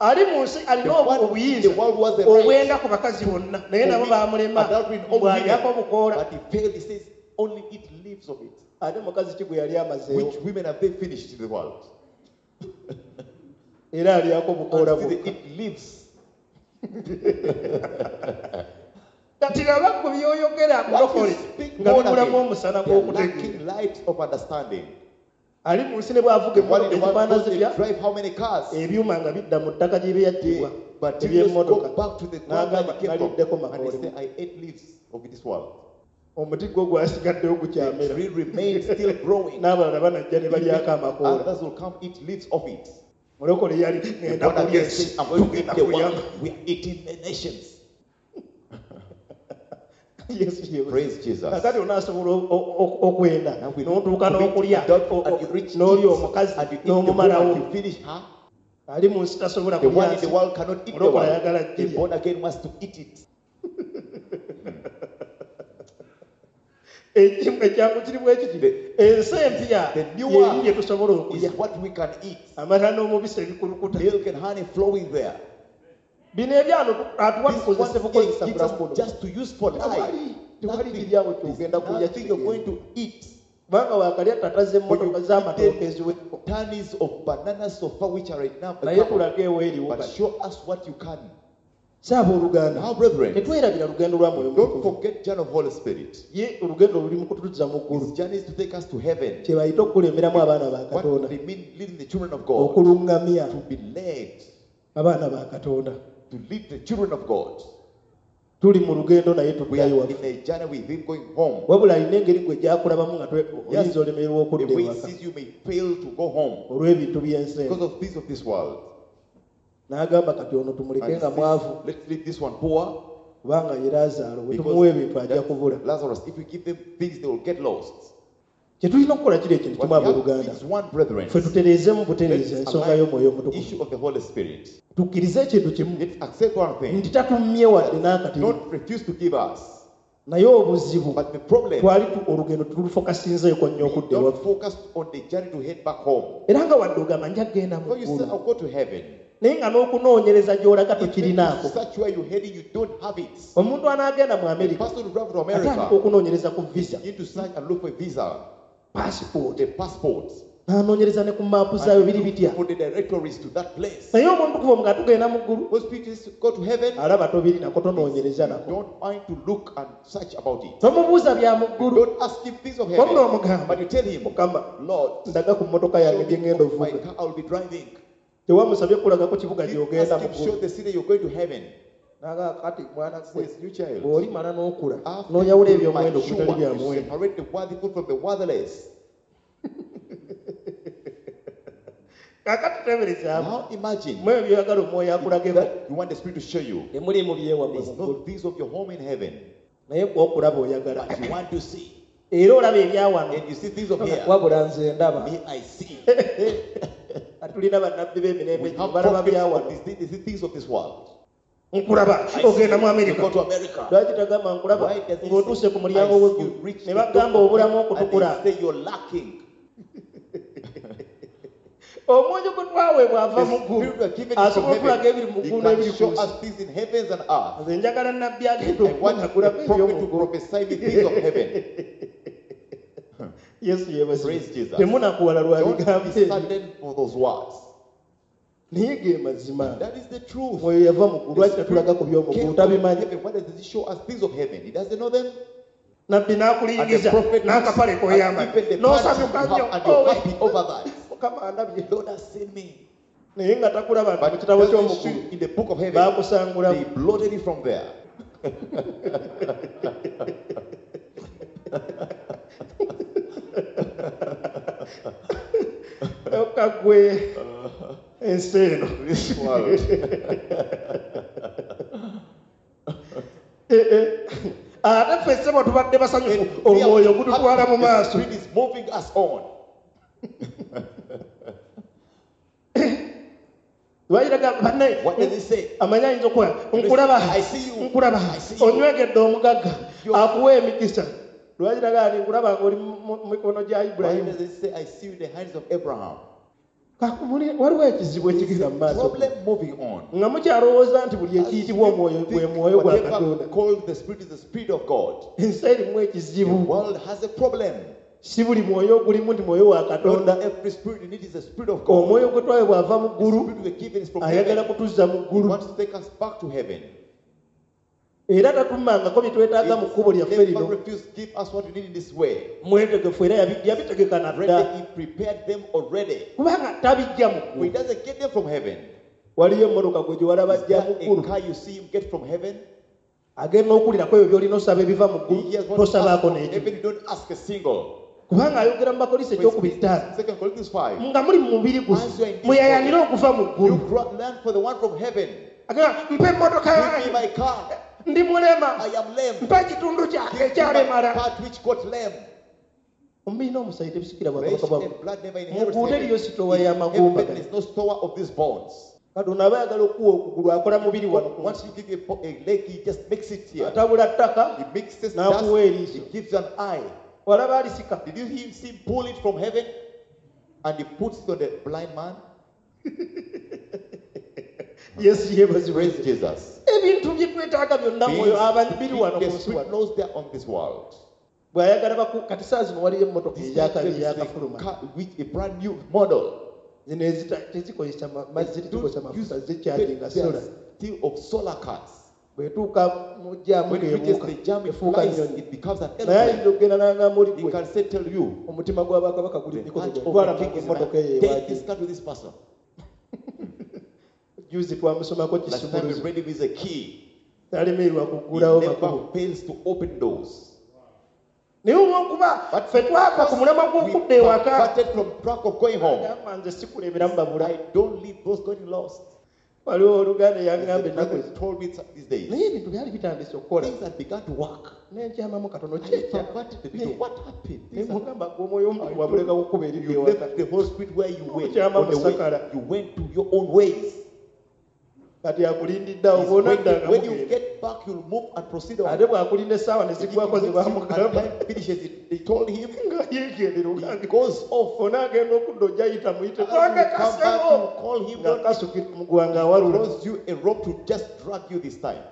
Ali mu nsi alina The one in obuyinza the world was the right. obwenda ku bakazi bonna naye nabo Commit baamulema adultery in all bw'alyako women. bukoola. But he failed. He says, only eat leaves of it. Ate mukazi ki gwe yali amazeewo? Which women have they finished in the world? Era alyako bukoola And still they bwokka. eat leaves. Kati laba gwe by'oyogera What you mulokole speak nga born bibulamu again, omusana they are gw'okutegeera. lacking light of understanding. Ali mu nsi ne bw'avuga The one in emmotoka the world ezifaana goes, they zitya drive how many cars? ebyuma nga bidda mu ttaka gye byattibwa The materials go eby'emmotoka back to the ground where n'agamba they came naliddeko from. And they makoole. say, I ate leaves of this world. Omuti gwo gwasigaddewo The gukyamera. tree remains still growing. N'abalala banajja ne balyako Even amakoola. others will come eat leaves of it. Mulokole yali The ngenda born kulya again ensi, says, I'm going to eat tugenda the kulya. world. We are eating the nations. Yesu yeebazibwe. Praise Jesus. Kakati onaasobola o- o- o- okwenda Now we n'otuuka commit n'okulya adultery o- and o- you reach n'olya it, omukazi and you eat the woman, n'omumalawo. you finish her. Ali mu nsi tasobola The kulya one in nsi. the world cannot eat the Mulokole world. ayagala The girya. born again wants to eat it. Ekimu ekyangu kiri bwe kiti. The- Ensi empya the new y'eri one gye tusobola okulya. Is what we can eat. Amata n'omubisi ebikulukuta. Milk and honey flowing there. Bino ebyano atuwa This tukozese one bukozesa gives us bulamu buno. just to use for life. Tewali tewali Nothing. kiri awo ky'ogenda There's kulya nothing you're going kitegeera. to eat. Kubanga waakalya tata z'emmotoka When you z'amatooke eat eziweko. Tons of bananas so far which are right now. Naye tulage eweeriwo But kati. show us what you can. Saaba oluganda. Now, brethren, Tetwerabira lugendo lwa Mwoyo don't Mutukuvu. forget journey of Holy Spirit. Ye olugendo luli mu kutuzza mu ggulu. His journey is to take us to heaven. Kye bayita okukulemberamu abaana ba What Katonda. they mean leading the children of God. Okuluŋŋamya To be led. abaana ba Katonda. To lead the children of God. Tuli mu lugendo naye We tuddayo are waffe. in a journey with him going home. Wabula alina engeri gwe gy'akulabamu nga twe- Yes. oyinza olemererwa okudda The way he ewaka sees you may fail to go home olw'ebintu by'ensi eno. because of things of this world. N'agamba kati ono tumuleke And he nga says, mwavu let's leave this one poor kubanga ye Laazaalo bwe because tumuwa ebintu ajja that kubula. Lazarus, if we give them things, they will get lost. Kye tulina okukola kiri ekintu What kimu we have abooluganda. is one, brethren. Ffe tutereezeemu butereeza Let's ensonga align y'omwoyo the omutukuvu. issue of the Holy Spirit. Tukkirize ekintu kimu Let's accept one thing. nti tatummye wadde n'akatini. Don't refuse to give us. Naye obuzibu But the problem, twali tu- olugendo tulufokasinzeeko nnyo we okudda don't ewaffe. focus on the journey to head back home. Era nga wadde ogamba nja kugenda mu So you say, ggulu. I'll go to heaven. Naye nga n'okunoonyereza gy'olaga If you tokirinaako. search where you're heading, you don't have it. Omuntu anaagenda mu The Amerika person who drives to atandika America, okunoonyereza ku visa, you need to search and look for a visa, passport, the passport, n'anoonyereza ne ku maapu zaayo biri and bitya. look for the directories to that place. Naye omuntu kuva nga tugenda mu ggulu Those people just go to heaven, alaba tobirinako tonoonyereza nako. don't mind to look and search about it. Tomubuuza bya mu ggulu. Don't ask him things of Wabula heaven, omugamba but you tell him, Mukama Lord, ndaga ku mmotoka yange show gye me ngenda my ovuga. car I'll be driving. Tewamusabye kulagako kibuga Didn't gy'ogenda ask mu him, show ggulu. the city you're going to heaven. N'agamba kati mwana gwe Says, you child, bw'olimala n'okula after n'oyawula you eby'omuwendo ku bitali mature, bya you muwendo. separate the worthy from the worthless. Kaakati teeberezaamu Now imagine mu ebyo by'oyagala omwoyo akulageko that you want the Spirit to show you. temuli mu byewammwe It's mu ggulu. not things of your home in heaven, Naye gw'okulaba oyagala. but you want to see. Era olaba ebyawano. And you see things of here. Wabula nze ndaba. Me, I see. Tulina bannabbi b'emirembe We gino have balaba prophets byawano. of this, these things of this world. Nkulaba I see. ogenda mu You Amerika. go to America. Lwaki tagamba nkulaba Why does he ng'otuuse say, ku mulyango I see w'eggulu you reach ne the bagamba door of obulamu heaven and okutukula. they say you're lacking. Omwoyo gwe twaweebwa ava The mu ggulu spirit we are given is from asobola okulaga ebiri heaven. mu He ggulu can n'ebiri ku show nsi. us things in heavens and earth. Nze njagala nabbi agenda I want the okunagulako prophet to eby'omu ggulu. prophesy the things of heaven. Yesu yeebazibwe. Praise Jesus. Temunakuwala lwa Don't bigambo be ebyo. saddened for those words. Naye ge mazima. That is the truth. Omwoyo yava mu ggulu The lwaki tatulaga ku Spirit by'omu came ggulu from tabimanyi. heaven. Why does he show us things of heaven? He doesn't know them. Nabbi And the n'akulingiza prophet n'akapale and k'oyambadde even the party you n'osanyuka have nnyo and you're Owe. happy over that. Mukama andabye. Lord has seen me. Naye nga takulaba nti mu But kitabo doesn't ky'omu show ggulu in the book of heaven, baakusangulamu. they blotted it from there. Okka ggwe ensi eno. This world. Eh, eh. Ate ffe ssebo tubadde basanyufu And we are omwoyo gututwala mu happy. The maaso. Spirit is moving us on. Lwayiraga banne What does he say? amanyi ayinza okukola nkulaba I see you. nkulaba I see you. onywegedde omugagga You- akuwa emikisa lwayiraga nti nkulaba ng'oli mu mu mikono gya Why Ibulayimu. does it say, I see you in the hands of Abraham? Kakumuli waliwo ekizibu ekigenda mu maaso. Problem moving on. Nga mukyalowooza nti buli As ekiyitibwa you omwoyo think gwe mwoyo gwa whatever Katonda. called the Spirit is the Spirit of God. Ensi erimu The ekizibu. world has a problem. Si buli mwoyo ogulimu nti mwoyo wa Katonda. Not every spirit you need is the spirit of God. Omwoyo gwe twawe bw'ava mu The ggulu, spirit we were given is from ayagala heaven. kutuzza mu He ggulu. wants to take us back to heaven. Era tatummangako bye twetaaga mu kkubo lyaffe Never lino. refuse to give us what we need in this way. Mwetegefu era yabi- yabitegeka na dda. Already, he prepared them already. Kubanga tabijja mu He ggulu. doesn't get them from heaven. Waliyo emmotoka gwe gye walaba Is ajja mu that ggulu. a car you see him get from heaven? Agenda okuwulirako ebyo by'olina osaba ebiva mu He ggulu, hears what you ask tosabaako from n'ekyo. heaven, you don't ask a single. Kubanga ayogera mu Bakolinso ekyokubiri ttaano. Second Corinthians five. Nga muli mu mubiri guno, As you are in this muyayaanire body, okuva mu ggulu. You grow, learn for the one from heaven. Agamba, mpa emmotoka Give me yange. my car. Ndi mulema. I am lame. Mpa ekitundu kyange Give me my ekyalemala. part which got lame. Omubiri n'omusaayi tebisikira Flesh bwakabaka bwa and blood never inherit Muguude heaven. eriyo sitowa In y'amagumba heaven gano. is no store of these bones. Katonda aba ayagala okuwa okugulu akola mubiri wano ku Once nsi. you give a, bo-, a leg, he just makes it here. Atabula ttaka, He mixes n'akuwa dust, eriiso. he gives you an eye. Walaba alisika. Did you hear him pull it from heaven? And he puts it on the blind man? Yesu yeebazibwe. Praise Jesus. Ebintu bye twetaaga byonna mwoyo aba biri wano The ku nsi spirit wano. knows they are on this world. Bw'ayagala baku kati saa zino waliyo emmotoka This eyaka- is a eyakafuluma. car with a brand new model. Zino ezita- tezikozesa ma- mazzi, tezikozesa Don't mafuta, use zikyaginga they are solar. still of solar cars. Bw'etuuka mu jjaamu When it reaches ng'ebuuka, the jam, it efuuka flies, nnyonyi. it becomes an Naye aeroplane. ayinza okugenda n'agamba oli He gwe, can say, tell you, omutima gw'abakabaka guli the mikono heart gyange. of Twala the king mangu is in my emmotoka eyo Take ewaaki. this car to this person. Juzi twamusomako Last time we kisumuluzo. read him is a key. Talemererwa He kuggulawo never makubo. fails to open doors. Naye olw'okuba ffe twava ku mulamwa We gw'okudda ewaka. parted from track of going home. Agamba nze sikuleberamu babula. I don't leave those going lost. Waliwo oluganda The eyaŋŋamba ennaku brother ezo. told me these days. Naye ebintu byali bitandise okukola. Things had begun to work. Ne nkyamamu katono I kyekya. perverted the little. What happened? Ne Things are- mugamba gwe omwoyo omutukuvu wamuleka kukuba eridda You ewaka. left the Holy Spirit where you went. Okyama On the way, musakala. you went to your own ways. Kati akulindidde awo He's bw'onadda waiting. nga When you mugenda. get back, you'll move and proceed on. Ate bw'akulinda essaawa ne If he ziggwako waits ze you and baamugamba. time finishes it, they told him Nga yeegendera he ogange. goes off. Onaagenda okudda ojja yita muyite. As you Twange come back, kasebo. you call him. Nga kasukira omuguwa ng'awalula. Throws you a rope to just drag you this time.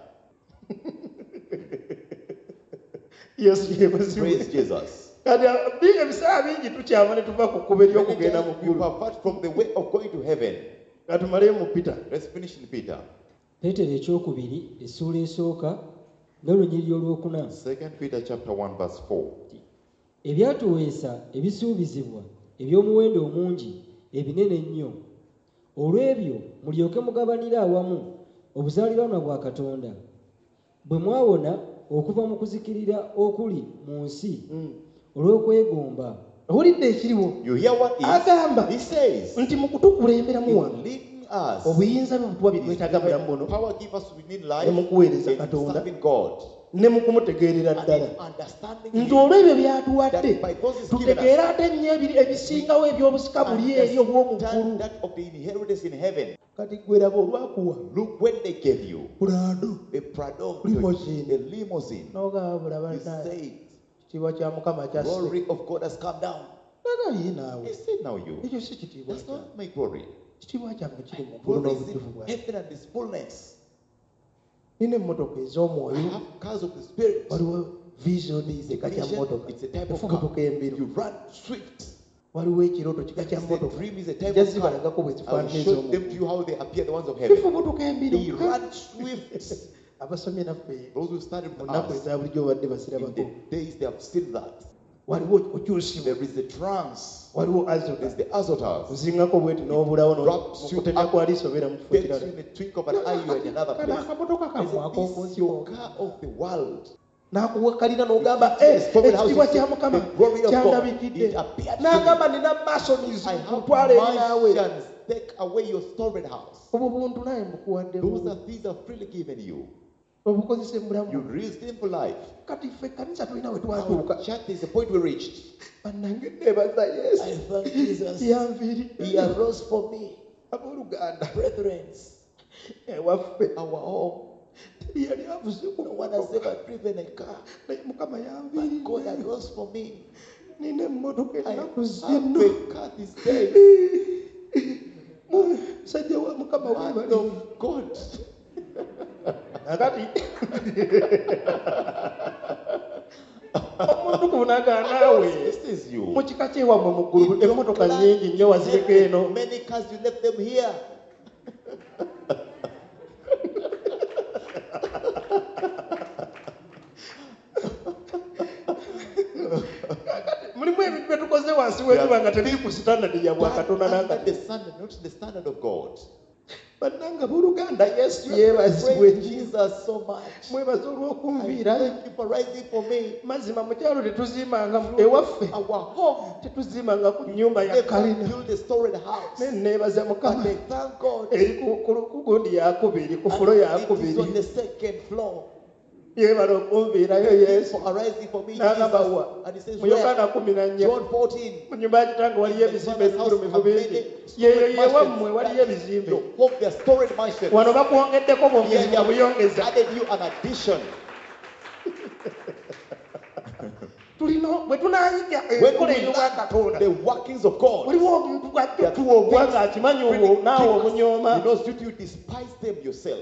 Yesu yeebazibwe. Praise Jesus. Kati bi- ebiseera bingi tukyama ne tuva ku kkubo Many ery'okugenda mu times we ggulu. pervert from the way of going to heaven. Ka tumaleyo mu Peter. Let's finish in Peter. Peetero ekyokubiri essuula esooka n'olunyiriri olwokuna. Second Peter chapter one verse four. Ebyatuweesa ebisuubizibwa eby'omuwendo omungi ebinene ennyo. Olw'ebyo mulyoke mugabanire awamu obuzaaliranwa bwa Katonda. Bwe mwawona okuva mu kuzikirira okuli mu nsi Mm. olw'okwegomba. Owulidde ekiriwo? You hear what is? Agamba He says, nti mu kutukulemberamu in wano leading us, obuyinza bwe butuwa bye twetaaga mu bulamu buno power give us we need life ne mu kuweereza in Katonda serving God ne mu kumutegeerera and ddala. in understanding Nti him, olw'ebyo by'atuwadde that by those he's given us, tutegeere ate nnyo ebiri ebisingawo eby'obusika buli eri obw'omu ggulu. understand that of the inheritance in heaven. Kati ggwe laba olwakuwa Look when they gave you Prado a Prado, Limousine. a limousine. n'ogamba bulaba You nnaye said, ekitiibwa kya Mukama kyasse. glory of God has come down. Naga ye naawe He said, now you. ekyo si kitiibwa That's kyange. not my glory. Kitiibwa kyange kiri mu ggulu Glory is n'obujjuvu in bwange. heaven and its fullness. Nina emmotoka I ez'omwoyo. have cars of the spirit. Waliwo vision There is a kika kya vision. mmotoka It's a type of efubutuka car. embiro. You run swift. Waliwo ekirooto kika kya There is a mmotoka. dream is a type Nja of car. zibalagako bwe I will zifaanana show ez'omu them to you how they appear, the ones of heaven. Zifubutuka embiro. They run swift. Abasomye naffe Those who studied mu with nnaku us, eza bulijjo babadde in basirabako. the days they have seen that. Waliwo okyusibwa. There is a trance. Waliwo azota. There's the azotas. Ozingako bweti n'obulawo no- Wraps you mu kutemya up. kwa liiso obeera mu kifo Takes kirala. you in a twink of an eye, you are in another Kano place. akamotoka They kammwe say, ak'oku This is nsi your car of the world. N'akuwakalira n'ogamba, The "Eh, stolen house ekitiibwa is kya Mukama the glory of God. kyandabikidde." It appeared to N'agamba me. nina masons I have ntwala eri naawe. mansions. Take away your stolen house. Obwo buntu naye mbukuwadde Those bubi. are things I've freely given you. Obukozese mu bulamu. You raised them for life. Kati ffe ekkanisa tulina we twatuuka. Our church is the point we reached. Bannange neebaza Yesu. I thank Jesus. Yanviiridde. He arose for me. Abooluganda. Brethren, Ewaffe. our home. Teri yali avuze ku No one has ever driven a car. Naye Mukama But God yanviiridde. arose for me. Nina emmotoka I ennaku have zino. a car this day. Musajja wa Mukama Man weebale. of God. Kakati. Omuntu Omutukuvu n'agamba naawe God misses you. mu kika kyewammwe mu ggulu In your emmotoka clan, nnyingi nnyo wazireka eno. Many cars, you left them here. Mulimu ebintu bye tukoze wansi w'enjuba nga tebiri ku standard ya bwakatonda Under n'akati. the standard, not the standard of God. Bannange abooluganda Yesu yeebazibwe. Praise Jesus so much. Mwebaze I olw'okunviira. thank you for rising for me. Mazima mu kyalo tetuzimbanga ewaffe. Our home. Tetuzimbanga ku nnyumba ya Never kalina. build a storied house. Ne neebaza Mukama. But I thank God. Eri ku, ku, ku gundi yakubiri, ku fulo And it is on yakubiri. the second floor. Yeebala okunviirayo Thank you Yesu. for arising for me, N'agamba Jesus. wa? And he says, Mu Yokaana where? kumi na nnya. John fourteen. Mu nnyumba ya kitange waliyo In my ebizimbe father's house ebigulumivu are bingi. many Yeeyo storied yewammwe mansions. waliyo ebizimbe. Your home, there are storied mansions. Wano bakwongeddeko bwongezi Here they have buyongeza. added you an addition. Tulina bwe tunaayiga When enkola we ey'obwakatonda. learn the workings of God, Waliwo omuntu bw'ajja otuwa obwa ng'akimanyi really olwo naawe give us- omunyooma. He knows you, you despise them yourself.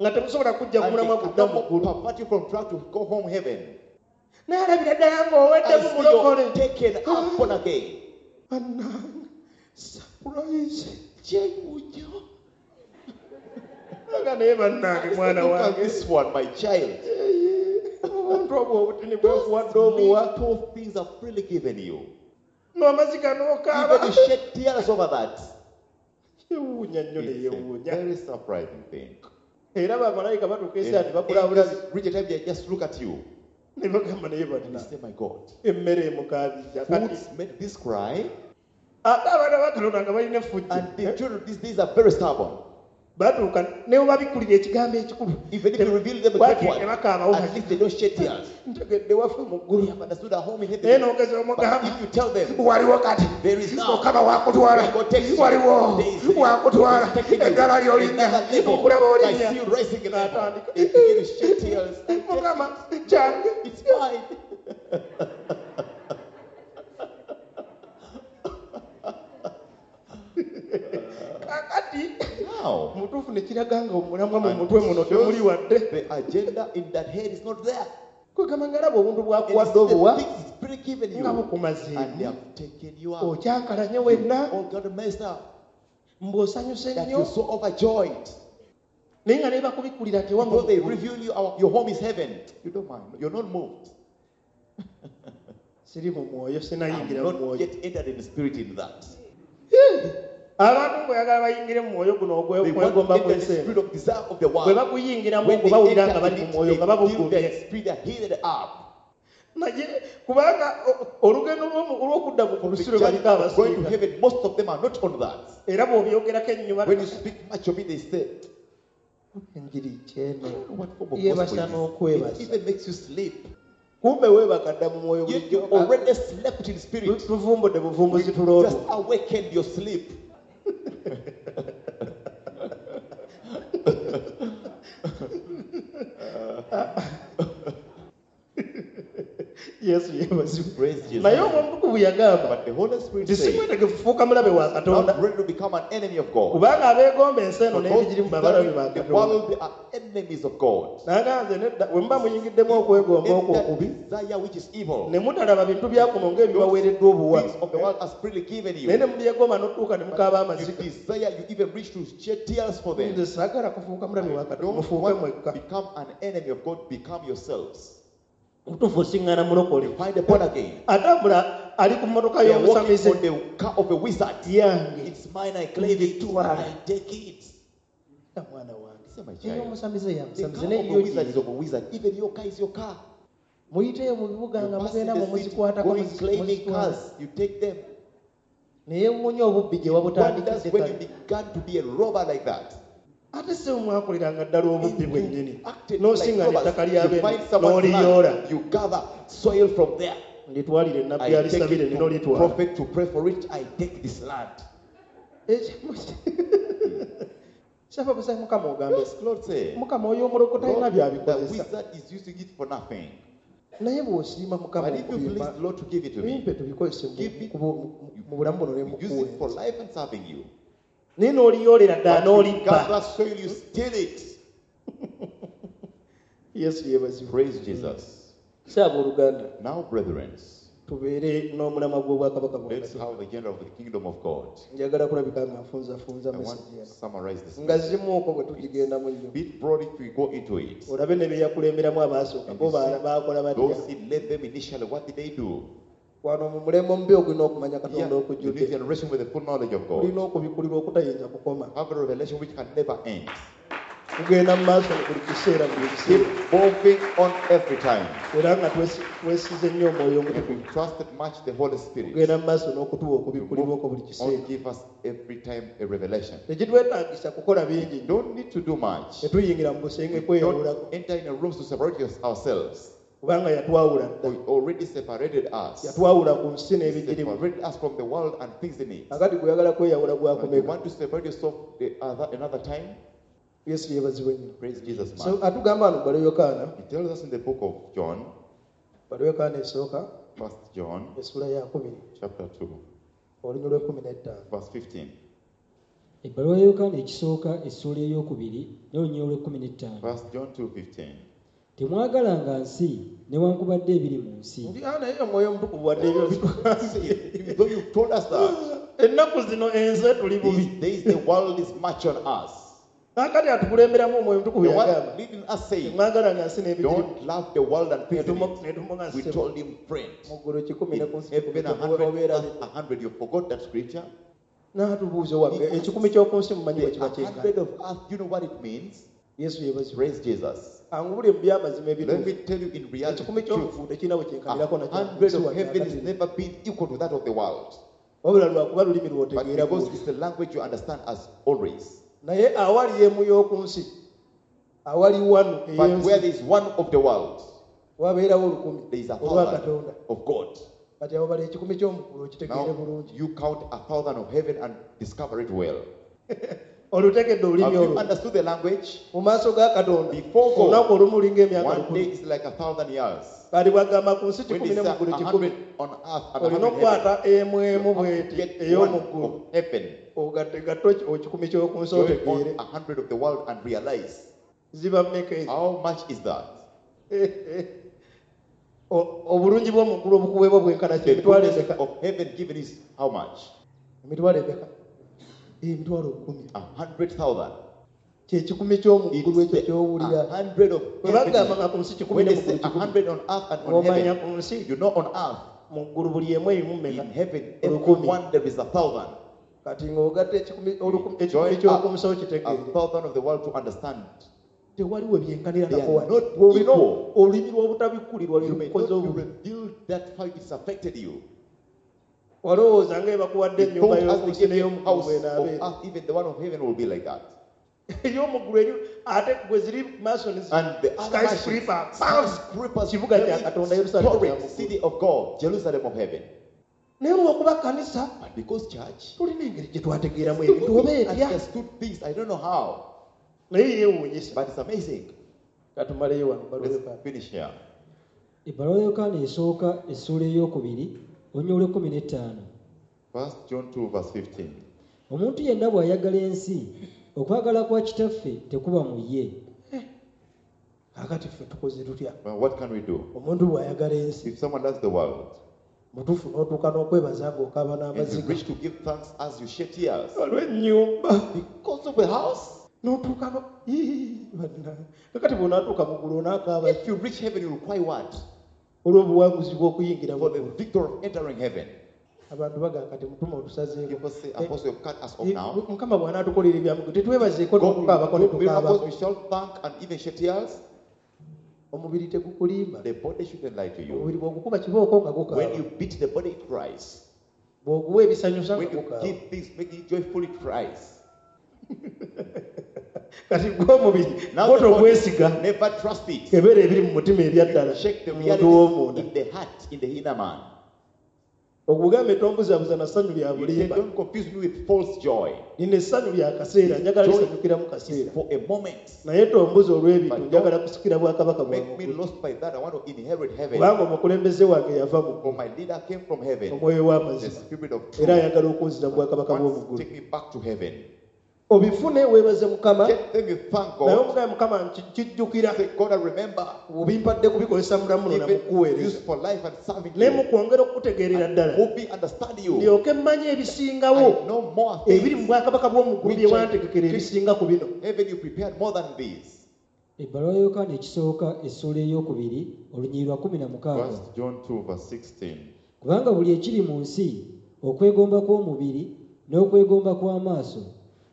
Nga temusobola kujja And kumulamwa they kudda mu cannot ggulu. pervert you from trying to go home heaven. N'alabira ddala ng'oweddemu I see mulokole. you're taken up born again. Bannange, surprise. Kyewuunyo. Aga naye bannange mwana Look at wange. this one, my child. Obuntu obwo obutini Those bwekuwadde obuwa. little things are freely given you. N'amaziga n'okaaba. Even you shed tears over that. Kyewuunya nnyo It's a neyeewuunya. very surprising thing. Era bamalayika batuuka ensi ati And bakulabula. angels reach a time they just look at you. Ne bagamba naye And banna. they say, my God. Emmere emukaabizza. Kati Foods made this cry. ate abaana ba Katonda nga balina effujjo. And the children these days are very stubborn. Batuuka ne bwe babikkulira ekigambo ekikulu. Even if you reveal them a great Waakiri one, tebakaabawo. at least they don't shed tears. Ntegedde waffe mu ggulu. They have understood our home in Naye heaven. n'ogeza omugamba. But if you tell them, Waliwo kati. there is now. Mukama wakutwala. When God takes you, Waliwo. there is Wakutwala. He's taking you. Eddala ly'olinnya. Another level. Okulaba I olinnya. see you rising in level. N'atandika. They begin to shed tears. I take Mukama kyange. it. It's mine. Kakati Now, mutuufu ne kiraga nga omulamwa mu and mutwe muno shows temuli wadde. the agenda in that head is not there. Kwegamba ngalaba obuntu And bwakuwadde it's the obuwa things he's freely given you. nga bukumazeemu. And they have taken you out. Okyankalanye wenna. All got messed up. Mbw'osanyuse That nnyo. you're so overjoyed. Naye nga ne bakubikkulira nti ewammwe Though they mu ggulu. reveal you, our, your home is heaven. You don't mind. You're not moved. Siri mu mwoyo, I'm sinayingira mu not mwoyo. yet entered in the spirit in that. Abantu ng'oyagala bayingire mu mwoyo guno They want to ogw'okwegomba enter the kw'ensi eno. spirit of desire of the Bwe world. bakuyingiramu When ogwo they bawulira enter nga bali in mu it, mwoyo they nga feel babugumye. their spirit, they are heated up. Naye kubanga o- olugendo lw'omu- olw'okudda mu The lusi lwe journey baliko of going to abasinga. heaven, most of them are not on that. Era bw'obyogerako ennyuma When you speak much of it, they say, enjiri kyeno I don't know what form of yeebasa gospel it is. n'okwebasa. It even makes you sleep. Kumbe weebaka dda mu mwoyo Yet you bulijjo. already slept in spirit. Tu- tuvumbudde buvumbuzi tuloolwo. Just awakened your sleep. Yesu yeebazibwe. Praise Jesus. Naye Omwoyo yagamba But the Holy Spirit nti says, simwetegefu kufuuka mulabe wa Katonda. not ready to become an enemy of God. Kubanga abeegomba ensi eno For those n'ebigirimu babalabe ba desiring the Katonda. world, they are enemies of God. N'agamba nze nedda bwe muba muyingiddemu okwegomba In okwo that okubi desire which is evil, ne mutalaba bintu bya kuno ng'ebibaweereddwa obuwa. things of the world has freely given you. Naye ne mubyegomba n'otuuka ne mukaaba You amaziga. desire, you even reach to shed tears for them. Nze saagala kufuuka mulabe wa Katonda, Don't mufuuke want to mwekka. become an enemy of God, become yourselves. Mutuufu osiŋŋaana mulokole. You find a born again. Atambula ali ku mmotoka They are walking y'omusamize. on the car of a wizard. Yange. It's mine, I claim it. Ngitwala. I take it. Ya mwana wange. Say, my child. Ey'omusamize ya The musamize car naye of a yo wizard is gye. of a wizard. Even your car is your car. Muyiteyo mu bibuga You nga pass in mugenda mu the city, muzikwatako going muzi- claiming muzitwala. cars. You take them. Naye wuunya obubbi gye Wonders wabutandikidde when you kale. began to be a robber like that. Ate si mwakoleranga ddala obubbi bwennyini. Acted like N'osiŋŋana robbers. ettaka You lya find bene someone's n'oliyoola. land, you gather soil from there. Nditwalire I nabbi take alisabire it nina to olitwala. prophet to pray for it. I take this land. Ekimu- Saba busayi Mukama ogambe. Yes, Lord say. Mukama oyo omuloko talina Lord, the by'abikozesa. wizard is using it for nothing. Naye bw'osiima Mukama But if you okubimpa, please the Lord to give it to me, bimpe tubikozese mu- Give it- mu- mu- mu bulamu buno ne use it for mukuweereza. life and serving you. Naye n'oliyoolera ddala But you n'olibba. gather soil, you steal it. Yesu yeebazibwe. Praise Jesus. Saabooluganda, Now, brethren, tubeere n'omulamwa gw'obwakabaka bwa let's Katonda. have the agenda of the kingdom of God. Njagala kulabika nga nfunzafunza I want message to eno summarize this. nga zimuuko bwe tugigendamu nnyo, Bit broad if we go into it. olabe ne bye yakulemberamu abaasooka And bo you see, ba- baakola batya. those he led them initially, what did they do? Wano mu mulembe omubi ogulina okumanya Yeah, Katonda the new okujjudde, generation with the full knowledge of God. tulina okubikulirwa okutayinza kukoma. Have a revelation which can never end. Tugenda mu maaso buli kiseera, buli kiseera. Keep moving on every time. Era nga twesi- twesize nnyo omwoyo And omutukuvu. we trusted much the Holy Spirit. Tugenda mu maaso n'okutuwa To okubikulirwa okwo move buli kiseera. on, give us every time a revelation. Tekitwetaagisa kukola bingi nnyo. Don't need to do much. Tetuyingira mu busenge We kweyawulako. don't enter in a rooms to separate us- ourselves. Kubanga yatwawula dda. He already separated us. Yatwawula ku nsi He n'ebigirimu. separated us from the world and things in it. Akati gweyagala kweyawula And you gwakomeka. want to separate yourself the other, another time? Yesu yeebazibwe nnyo. Praise Jesus, So man. atugamba wano balo Yokaana, He tells us in the book of John, balo Yokaana esooka, First John, essula ya kubiri, chapter two, olunyiriri lw'ekkumi n'ettaano. verse fifteen. Ebbaluwa ya Yokaana ekisooka essuula ey'okubiri n'olunyiriri olw'ekkumi n'ettaano. First John two fifteen. Temwagalanga nsi newankubadde ebiri mu nsi. Nti, ah, naye omwoyo omutukuvu wadde ebyo See, though you've told us that, ennaku zino ensi tuli bubi. these days the world is much on us. Kaakati atukulemberamu omwoyo omutukuvu The one yagamba, leading us saying, temwagalanga nsi n'ebigirimu. don't love the world and things in Netumu- it. netumunga We ssebo. told him, friend, Mu ggulu kikumi ne ku in nsi kikumi heaven a hundred, obeera earth a hundred. You forgot that scripture? N'atubuuza owange, ekikumi ky'oku nsi mumanyi bwe The kiba kyenkana. hundred of earth, you know what it means? Yesu yeebazibwe. Praise Jesus. Angubule mu by'amazima Let ebituufu. me tell you in reality, Ekikumi truth, ky'omuggulu tekirina bwe a kyenkanirako nakyo ku hundred nsi of wadde heaven has akatini. never been equal to that of the world. Wabula lwakuba lulimi But lw'otegeera because bw'oti. it's the language you understand as always. Naye awali emu y'oku nsi, awali wanu But where ey'ensi, there is one of the world, wabeerawo olukumi there is a olwa thousand Katonda. of God. Kati abo bala ekikumi ky'omuggulu okitegeere Now bulungi. you count a thousand of heaven and discover it well. Olutegedde Have olulimi you olwo. understood the language? Mu maaso ga Katonda, Before God, olunaku olumu lulinga emyaka one lukumi. day is like a thousand years. Kati bw'agamba ku nsi When kikumi they ne say mu ggulu a kikumi, hundred on earth and a olina hundred in heaven, okukwata emu emu you have to bw'eti get one ey'omu ggulu. of heaven. Ogatte gatte ekikumi ky'oku nsi Join on otegeere. a hundred of the world and realize Ziba mmeka ezo? how much is that? O- obulungi bw'omu ggulu obukuweebwa bwenkana ki? The Emitwalo goodness emeka? of heaven given is how much? Emitwalo emeka? Emitwalo kkumi. A hundred thousand. Kye kikumi ky'omu ggulu It's ekyo the ky'owulira. a hundred of Bwe bagamba heaven. nga ku nsi kikumi When ne they mu ggulu say a kikumi, hundred on earth and on ng'omanya heaven, ku nsi you know on earth, mu ggulu buli emu erimu mmeka? in heaven, every Olukumi. one there is a thousand. Kati ng'ogatta ekikumi oluku- ekikumi Join ky'oku up nsi okitegeere. a thousand of the world to understand. Tewali we byenkanira They nako are wano. not Bw'olina equal. olulimi lw'obutabikkulirwa lwe You may lukukoze not be obubi. revealed that how it's affected you. Walowooza nga ebakuwadde You ennyumba thought as y'oku they nsi gave you n'ey'omu ggulu house of bw'enaabeera. earth, even the one of heaven will be like that. Ey'omu ggulu eri ate gwe ziri maaso ne zi- And the other skyscraper, nations, skyscrapers, Kibuga kya very Katonda, Yerusalemu storied kya mu ggulu. city of God, Jerusalem of heaven. Naye olw'okuba kkanisa, But because church, tulina engeri gye twategeeramu we ebintu oba etya. understood things, I don't know how, Naye yeewuunyisa. but it's amazing. Katumaleyo wano, bbaluwa Let's Yokaana. finish here. Ebbaluwa ya Yokaana esooka essuula ey'okubiri olunyiriri olw'ekkumi n'ettaano. First John two verse fifteen. Omuntu yenna bw'ayagala ensi, okwagala kwa Kitaffe tekuba mu ye. Kaakati ffe tukoze tutya? Well, what can we do? Omuntu bw'ayagala ensi, If someone loves the world, mutuufu n'otuuka n'okwebaza ng'okaaba and you n'amaziga. reach to give thanks as you shed tears Olw'ennyumba. because of the house. N'otuuka no- Ii, bannange. Kakati bw'onaatuuka mu ggulu onaakaaba If you reach heaven, you will cry what? olw'obuwanguzi bw'okuyingira mu For the ggulu. victor of entering heaven. Abantu bagamba kati mutuma otusazeeko. People say, Apostle, you've cut us off Eh, now. Mukama bw'anaatukolera ebyamugo tetwebazeeko God n'okukaabako ne will do miracles, tukaabako. we shall thank and even shed tears. Omubiri tegukulimba. The body shouldn't lie to you. Omubiri bw'ogukuba kibooko nga When gukaaba. you beat the body, it cries. Bw'oguwa ebisanyusa nga When you gukaaba. give things, make it joyful, it cries. Kati gwe omubiri Now gwo the body, togwesiga. never trust it. Kebera ebiri mu mutima ebya ddala. You check the Omuntu reality w'omunda. in the heart, in the inner man. Okugambe tombuzabuza na ssanyu lya You say, bulimba. don't confuse me with false joy. Lino essanyu lya kaseera, njagala Joy lisanyukiramu is kaseera. for a moment. Naye tombuza olw'ebintu, But njagala kusikira bwakabaka bwa Make me mu ggulu. lost by that. I want to inherit heaven. Kubanga omukulembeze wange yava mu For ggulu. my leader came from heaven. Omwoyo The w'amazima. spirit of Era truth. ayagala okunzira mu bwakabaka bw'omu Wants to ggulu. take me back to heaven. Obifune weebaze Mukama. Get them, you thank Naye God. omugabe Mukama nkijjukira. Say, God, I remember. Obimpadde kubikozesa mulamu Give na it mukuweereza. use for life and serving Naye you. mu kwongera okukutegeerera ddala. Move me, understand you. Ndyoke mmanye ebisingawo I know more ebiri mu things. bwakabaka bw'omu ggulu bye wantegekera ebisinga ku bino. Heaven, you prepared more than these. Ebbaluwa ya Yokaana ekisooka essuula ey'okubiri olunyiriri lwa kumi na mukaaga. First John two verse sixteen. Kubanga buli ekiri mu nsi okwegomba kw'omubiri n'okwegomba kw'amaaso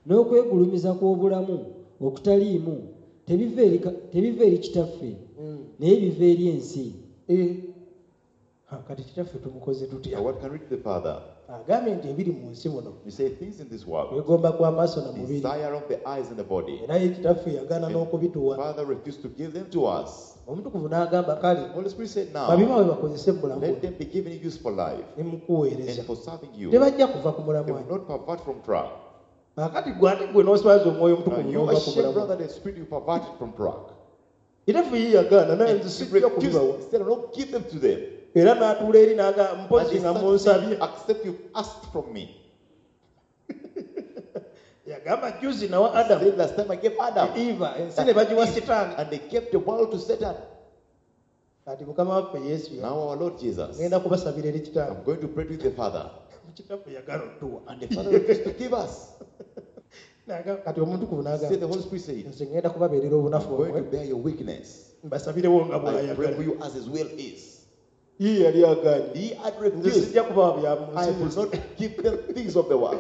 n'okwegulumiza kw'obulamu okutaliimu tebiva eri ka-, tebiva eri kitaffe naye biva eri ensi. Eh. Ha, kati kitaffe tumukoze tutya? Now what can we do to the Father? Agambye nti ebiri mu nsi muno. You say things in this world. Kwegomba kw'amaaso na mubiri. Desire of the eyes and the body. Era ye kitaffe yagaana And n'okubituwa. Father refused to give them to us. Omutukuvu n'agamba kale, Holy Spirit said now, babibawe bakozese mu bulamu let them be given use for life ne mu kuweereza. and for serving you. Tebajja kuva ku mulamwa. They will not pervert from track. Kaakati gwe ate gwe n'oswaza omwoyo Now omutukuvu you n'ova ku ashamed mulamwa. brother, the Spirit you perverted from track. Kitaffe ye yagaana, naye And nze he sijja refused. kubibawa. He said, I don't give them to them. Era n'atuula eri n'agamba, And mpozzi he nga started munsabye. saying, except you've asked from me. Yagamba juzi nawa Adam. Said last time I gave Adam. Eva, ensi ne bagiwa Sitaani. And they gave the world to Satan. Kati Mukama waffe Yesu ya- Now our Lord Jesus. Ngenda kubasabira eri Kitange. I'm going to pray to the Father. Kitaffe yagala otuwa. And the Father refused to give us. N'agamba, kati omutukuvu n'agamba, Say the Holy Spirit said, nze ngenda kubabeerera obunafu I'm going to bwammwe. bear your weakness. Mbasabirewo nga I pray bw'ayagala. for you as his will is. Ye yali agaanye. He had Nze refused. sijja kubawa bya mu I nsi. will not give them things of the world.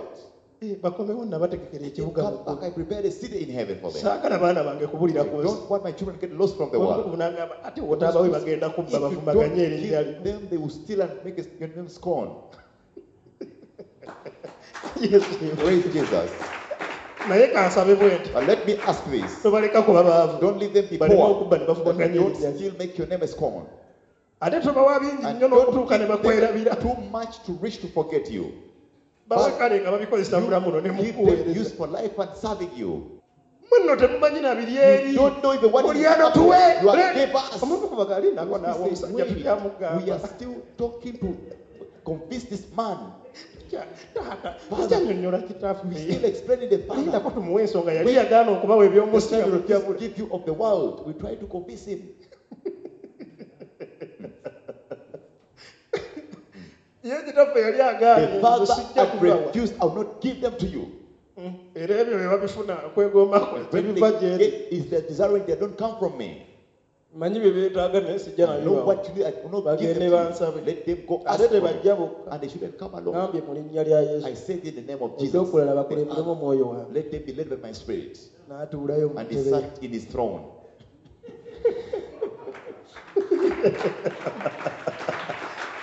Eh, bakomewo nabategekera ekibuga Come mu back, ggulu. I prepared a city in heaven for them. Saagala baana bange kubulira I ku nsi. don't want my children to get lost from the world. Omutukuvu n'agamba, ate wotaabawe bagenda kubba If you don't bavumaganye erinnya give lyo. them, they will steal and make your name scorn. Yesu. Praise Jesus. Naye kansabe bwe nti. But let me ask this. Tobaleka kuba baavu. Don't leave them be Baleme poor. okubba ne bavumaganya Don't erinnya lyo. still make your name a scorn. Ate tobawa bingi And nnyo don't n'okutuuka ne give them bakwerabira. too much to reach to forget you. Bawe kale nga babikozesa You mulamu no ne give them mukuweereza. use for life and serving you. Mmwe nno temumanyi na biri eri. You don't know even what is Oli ano happening. tuwe. You are gave us. Omuntu kuva gali nako We naawe say, omusajja wait, tukyamugamba. we are still talking to convince this man. Taata, tukyannyonnyola kitaffe. We still explaining the Father. Lindako tumuwe ensonga yali yagaana okubawa eby'omu nsi nga We bwe give you of the world. We try to convince him. Ye kitaffe yali agaanye, The Father nze sijja had kubawa. refused, I will not give them to you. Mm. Era ebyo bye babifuna okwegomba kwe, When they tebiva gye ndi. get is the desiring they don't come from me. Mmanyi bye beetaaga naye sijja I know nabibawa. what you need, I will not give Bagende them to you. bansabe. Let them go Ate ask for tebajja me. bokka. And they shouldn't come alone. Ngambye mu linnya lya Yesu. I said in the name of Jesus. Ekyokulala bakulemberemu omwoyo wange. Let them be led by my spirit. N'atuulayo mu And he ntebe ye. sat in his throne.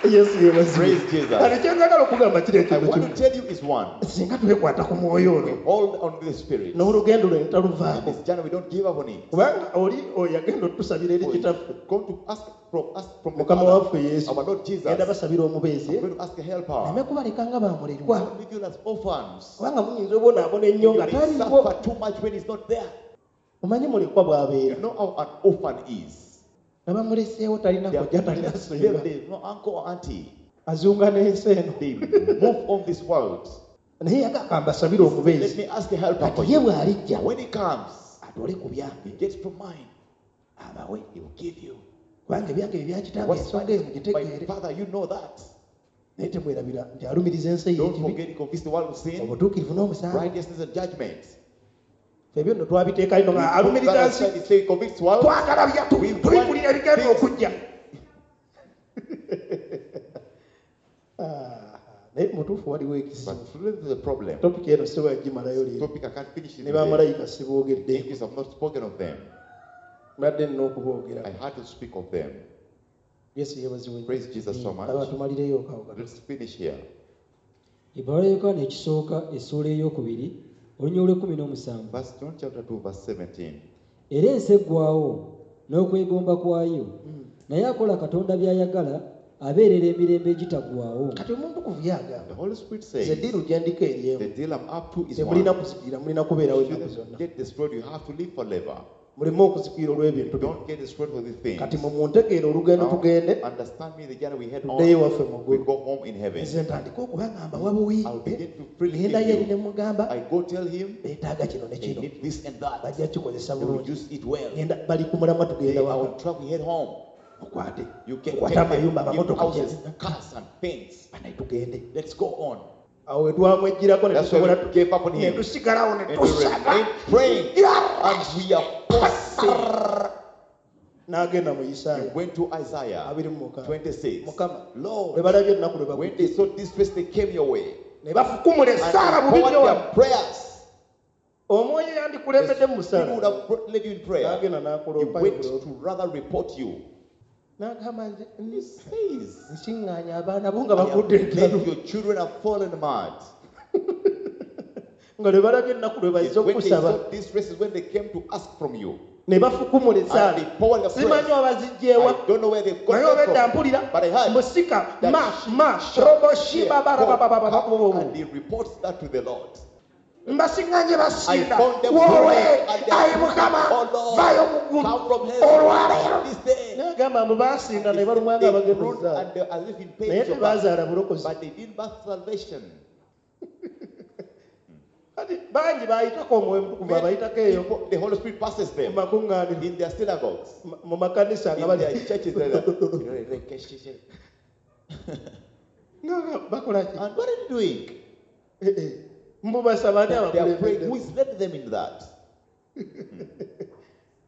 Yesu yeebazibwe. Praise Jesus. Kati kye njagala okugamba kiri I ekintu want kimu. to tell you is one. Singa twekwata ku mwoyo We ono hold on to the spirit. n'olugendo lwe And ntaluvaako. this journey we don't give up on it. Kubanga oli oyo yagenda otusabira eri kitaffe. Go to ask from ask from the Mukama Father, waffe Yesu. our Lord Jesus. Genda basabira omubeezi. I'm going to ask a helper. Aleme kubaleka nga bamulekwa. Don't leave you as orphans. Kubanga muyinza obonaabona ennyo You nga may taliiwo. suffer too much when he's not there. Omanyi mulekwa bw'abeera. You know how an orphan is. Nga bamuleseewo talina They kojja are talina them, ssenga. there's no uncle or auntie. Azunga n'ensi eno. They move on this world. Naye yagamba mbasabire omubeezi. Let me ask a helper for Kati ye you. bw'alijja When he comes, atole ku byange he gets from mine. abawe. He will give you. Kubanga ebyange bye bya kitange What's ensonga eyo my mugitegeere. father, you know that. Naye temwerabira nti alumiriza ensi Don't ey'ekibi, forget he convince the world of sin, obutuukirivu n'omusango. righteousness and judgment. Ffe ebyo nno twabiteeka ino nga We put alumiriza that nsi. aside, he say he convicts world. Twagala bya tu- We want tubikulira ebigenda things. okujja. Ah, naye mutuufu waliwo ekizibu. But truly there's a problem. Topic eno sisobola kugimalayo leero. Topic I can't finish it Ne today. bamalayika siboogedde. Angels have not spoken of them. Mbadde nina okuboogera. I had to speak of them. Yesu yeebazibwe. Praise Jesus so much. Aba tumalireyo kawo katono. Let's finish here. Ebbaluwa ya Yokaana ekisooka essuula ey'okubiri olunyiriri olw'ekkumi n'omusanvu. First John chapter two verse seventeen. Era ensi eggwaawo n'okwegomba kwayo. Naye akola Katonda by'ayagala abeerera emirembe egitaggwaawo. Kati omutukuvu yagamba, The Holy Spirit nze says, ddiiru gye ndiko eri emu. the deal I'm up to is Temulina one. kuzikirira, mulina kubeerawo You ennaku shouldn't zonna. get destroyed, you have to live forever. Muleme okuzikirira olw'ebintu bino. Don't get destroyed for these things. Kati mwe muntegeere olugendo Now, tugende understand me, the journey we head tuddeyo on, ewaffe mu we ggulu. go home in heaven. Nze ntandike okubagamba wabuwi I'll begin to freely ŋŋendayo give eri ne you. mugamba I go tell him beetaaga kino ne they kino need this and that. bajja kikozesa They will bulungi. use it well. Ŋŋenda bali ku mulamwa They tugenda are waka on track, we head home. okwate You can okwate take them, amayumba give amamotoka houses, gyonna. cars and things. Banaye tugende. Let's go on. Awo we twamweggyirako ne That's why tusobola we gave up on ne him. tusigalawo ne And we tusaba remain praying. And we are forcing. N'agenda mu He Isaaya went to Isaiah abiri mu mukaaga. twenty-six. Mukama Lord, bwe balabye ennaku lwe when bagudde they saw this face, they came your way. ne bafukumula essaala And bubi they poured nnyo their wano. prayers. Omwoyo yandikulembedde mu People musaala would have brought, led you in prayer. n'agenda He n'akuloopa went to rather report you. N'agamba nze He says, nsiŋŋaanya abaana bo nga I have bagudde made eddalu your children have fallen mad. Nga lwe balabye ennaku lwe It's bazze when they okusaba saw this race is when they came to ask from you. Ne bafukumula And essaala they poured the simanyi prayers. abazigyewa I don't know where they got naye obedda them from. mpulira But I heard musika that ma she ma shall robo hear shiba God barabababa come and he reports that to the Lord. Mbasiŋŋanye I basinda found them woowe praying and they ayi mukama Oh Lord, vaayo mu ggulu come from heaven olwaleero this day. n'agamba mbu baasinda ne balumwa nga They bagenda groaned okuzaala and they were as if in pain naye to birth, tebazaala bulokozi but they didn't birth salvation. Kati bangi baayitako omwoyo omutukuvu abayitako eyo People, the Holy Spirit passes mu them makuŋŋaaniro in their synagogues, mu makanisa nga in bali their churches. They're like, Nga bakola ki And what are they doing? Eh, eh. Mbu basaba ani They are praying. abakulembedde Who is led them in that?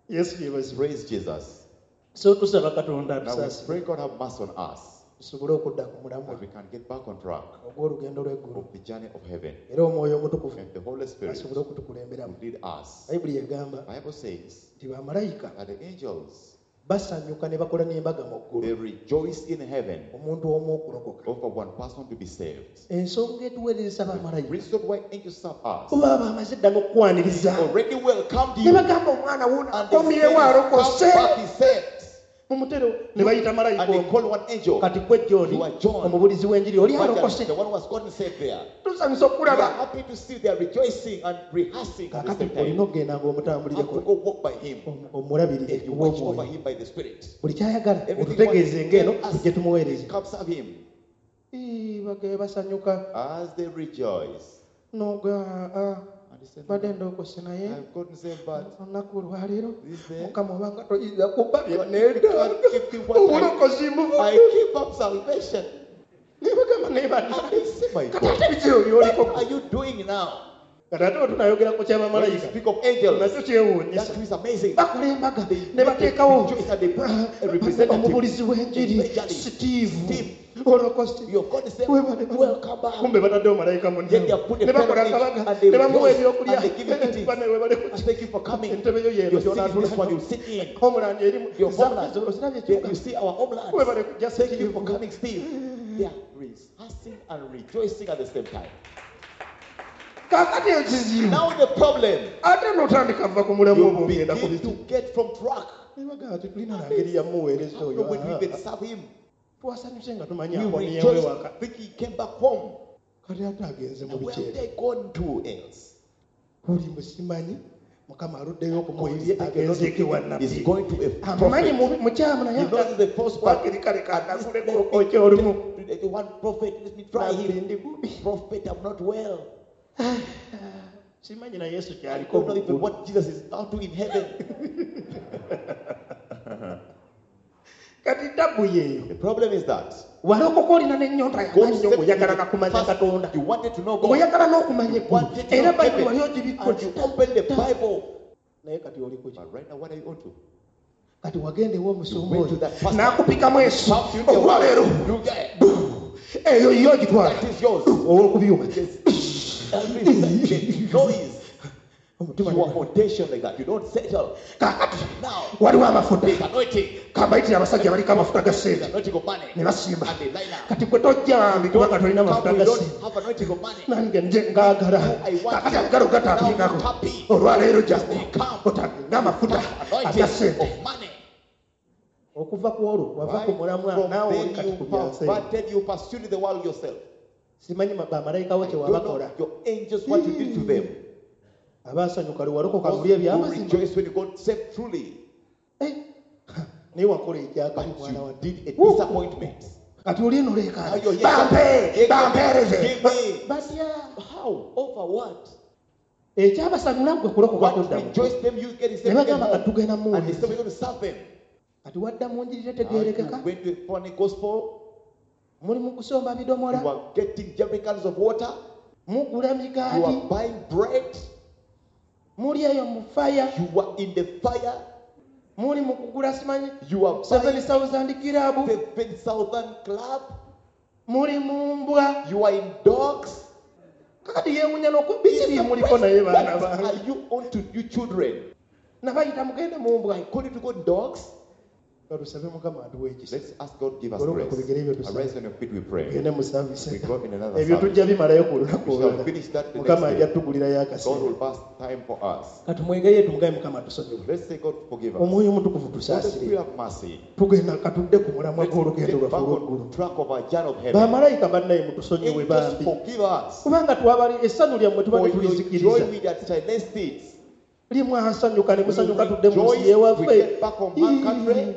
Yesu yeebazibwe. Praise Jesus. So tusaba Katonda Now we atusaasire pray God have mercy on us tusobole okudda ku mulamwa that we can get back on track ogw'olugendo lw'eggulu of the journey of heaven. era omwoyo omutukuvu And the Holy Spirit asobole okutukulemberamu. will lead us. Bayibuli egamba Bible says nti bamalayika that the angels basanyuka ne bakola n'embaga mu ggulu they rejoice in heaven omuntu omu okulokoka. over one person to be saved. Ensonga etuweereza bamalayika Reason why angels serve us oba bamaze dda n'okukwaniriza already welcomed ne you bagamba omwana wuno and they akomyewo said, come alokose back, he saved. mumutere ne bayita malayika And they omu call one angel. kati gwe John You are John. omubulizi w'enjiri oli alokose Evangelist, the one who has gotten saved there. tusanyusa We are okulaba happy to see they are rejoicing and rehearsing at the kaakati same time. olina okugenda Have ng'omutambulireko to go walk by him omu- omulabirire and you watch over ow'omwoyo him by the Spirit. buli kyayagala Everything otutegeeze what- ng'eno tell us, tujje tumuweereze Come serve him. Ii, bage basanyuka As they rejoice. noga ah, And he said, badde ndookose naye I've gotten saved, but olunaku olwaleero this day mukama obanga toyinza kubba you bye can't give me what I, obulokozi I mubudde give up salvation. ne bagamba naye And they say, my kati God, ate bizibu byoliko what are you doing now? kati ate wetunaayogera ku When you kyabamalayika speak of angels, nakyo kyewuunyisa that is amazing. bakola embaga They ne bateekawo rejoice and they put a representative. omubulizi w'enjiri Evangelist. Steve Steve. olokose You've got to say, Webale, welcome back. kumbe bataddewo malayika Then they have put a ne bakola fellow akabaga and they ne bamuwa rejoice ebyokulya and they give him eating. Bane webale And thank you for coming. entebe yo yeeno You're sitting this one, you sit in. homeland erimu Your homeland. ozirabye Yeah, ekibuga you see our homeland. webale kujja Thank you Steve for coming, Steve. They are rehearsing and rejoicing at the same time. Kaakati ekizibu Now the problem, ate n'otandika va ku mulamu you obwo ogenda ku begin biki to get from track. Ne bagamba tetulina na ngeri yamuweereza How oyo when we Ah, even serve him, twasanyuse nga tumanyi we akomyewo rejoice ewaka think he came back home. kati ate agenze mu Now, where have bikyere they gone to else? oli mbu simanyi mukama aluddeyo okumuwa God is ebye taking not agenzeeko ewa to- nabbi He's going to a amumanyi prophet. mubi- mukyamu naye He knows the false one. wakiri kale kanaguleko Let me- okyolumu let- One prophet, let me try Nabbi him. ndi bubi Prophet, I'm not well. simanyi na Yesu I kyaliko don't know even mu ggulu. what Jesus is now doing in heaven. Kati tabu yeeyo The problem is that walokoka olina n'ennyonta God y'amaanyi saved you ng'oyagala na kumanya first, Katonda you wanted to know God. ng'oyagala n'okumanya You eggulu wanted to era know Bayibuli heaven. wali ogibikkula And you opened the Bible. Naye kati oli kuki But right now, what are you on to? Kati wagenda ew'omusumba You went to oyo that pastor. n'akupikamu ensi Pump you in the olwaleero You get eyo yo ogitwala that is yours. ow'okubyuma Yes. Every the noise. omutima You are foundation like that. You don't settle. Kaakati Now, waliwo amafuta there's anointing. kambayitire abasajja baliko amafuta ga There's ssente anointing of money. ne basimba And they line up. kati gwe tojja kubanga tolina Come, mafuta we ga don't ssente have anointing of money. Nange nje ngaagala kakati agalo gatapikako olwaleero jangu otagenda amafuta Anointing aga ssente of money. Okuva ku olwo wava ku Right? mulamwa From naawe oli then kati you ku byansi perverted, you pursued the world yourself. Simanyi ma- bamalayika bo I kye don't wabakola know your angels what you did to them. Abaasanyuka lwe walokoka Those muli who ebyamazima. rejoice when you got saved truly. Eh, naye wakola ekyakabi But mwana you wadde. did a Woo! disappointment. Kati oli eno Now leekaana. you're here. Bampe, Give me. bampeereze. Give me. Batya? How? Over what? Ekyabasanyula ggwe kulokoka What kuddamu. rejoiced them, you get Ne saved. Get bagamba home. katugenda And they said, muwuliriza. we're going to serve them. Kati wadda mu njiri Now tetegeerekeka. you went to a funny gospel. Muli mu kusomba bidomola. You are getting jerrycans of water. Mugula You migaati. are buying bread. Muli eyo mu fire. You are in the fire. Muli mu kugula simanyi You are seven buying thousand club. seven thousand club. Muli mu mbwa. You are in dogs. Kakati yeewuunya n'oku biki bye muliko naye baana What bange. are you on to you children? Nabayita mugende mu mbwa. I call you to go dogs. Katusabe Mukama atuwe ekisa. Let's ask God give us Goloka ku grace. bigere byo tusabe. Arise on your feet, we pray. Tugende mu service. We go in another Ebyo service. tujja bimalayo ku lunaku We shall olulala. finish that the Mukama next ajja day. tugulirayo God akaseera. will pass time for us. Katumwegaye tumugaye Mukama atusonyiwe. Let's say God forgive us. Omwoyo Omutukuvu Holy tusaasire. Spirit have mercy. Tugenda katudde ku mulamwa Let's gw'olugendo get lwaffe back olw'eggulu. on track of our journey of heaven. Bamalayika bannaye mutusonyiwe Angels bambi. forgive us. Kubanga twabali essanyu lyammwe For tubadde your joy tulizikiriza. we that silenced it. Limwasanyuka ne We musanyuka tudde mu nsi rejoice, we y'ewaffe. get back on our country.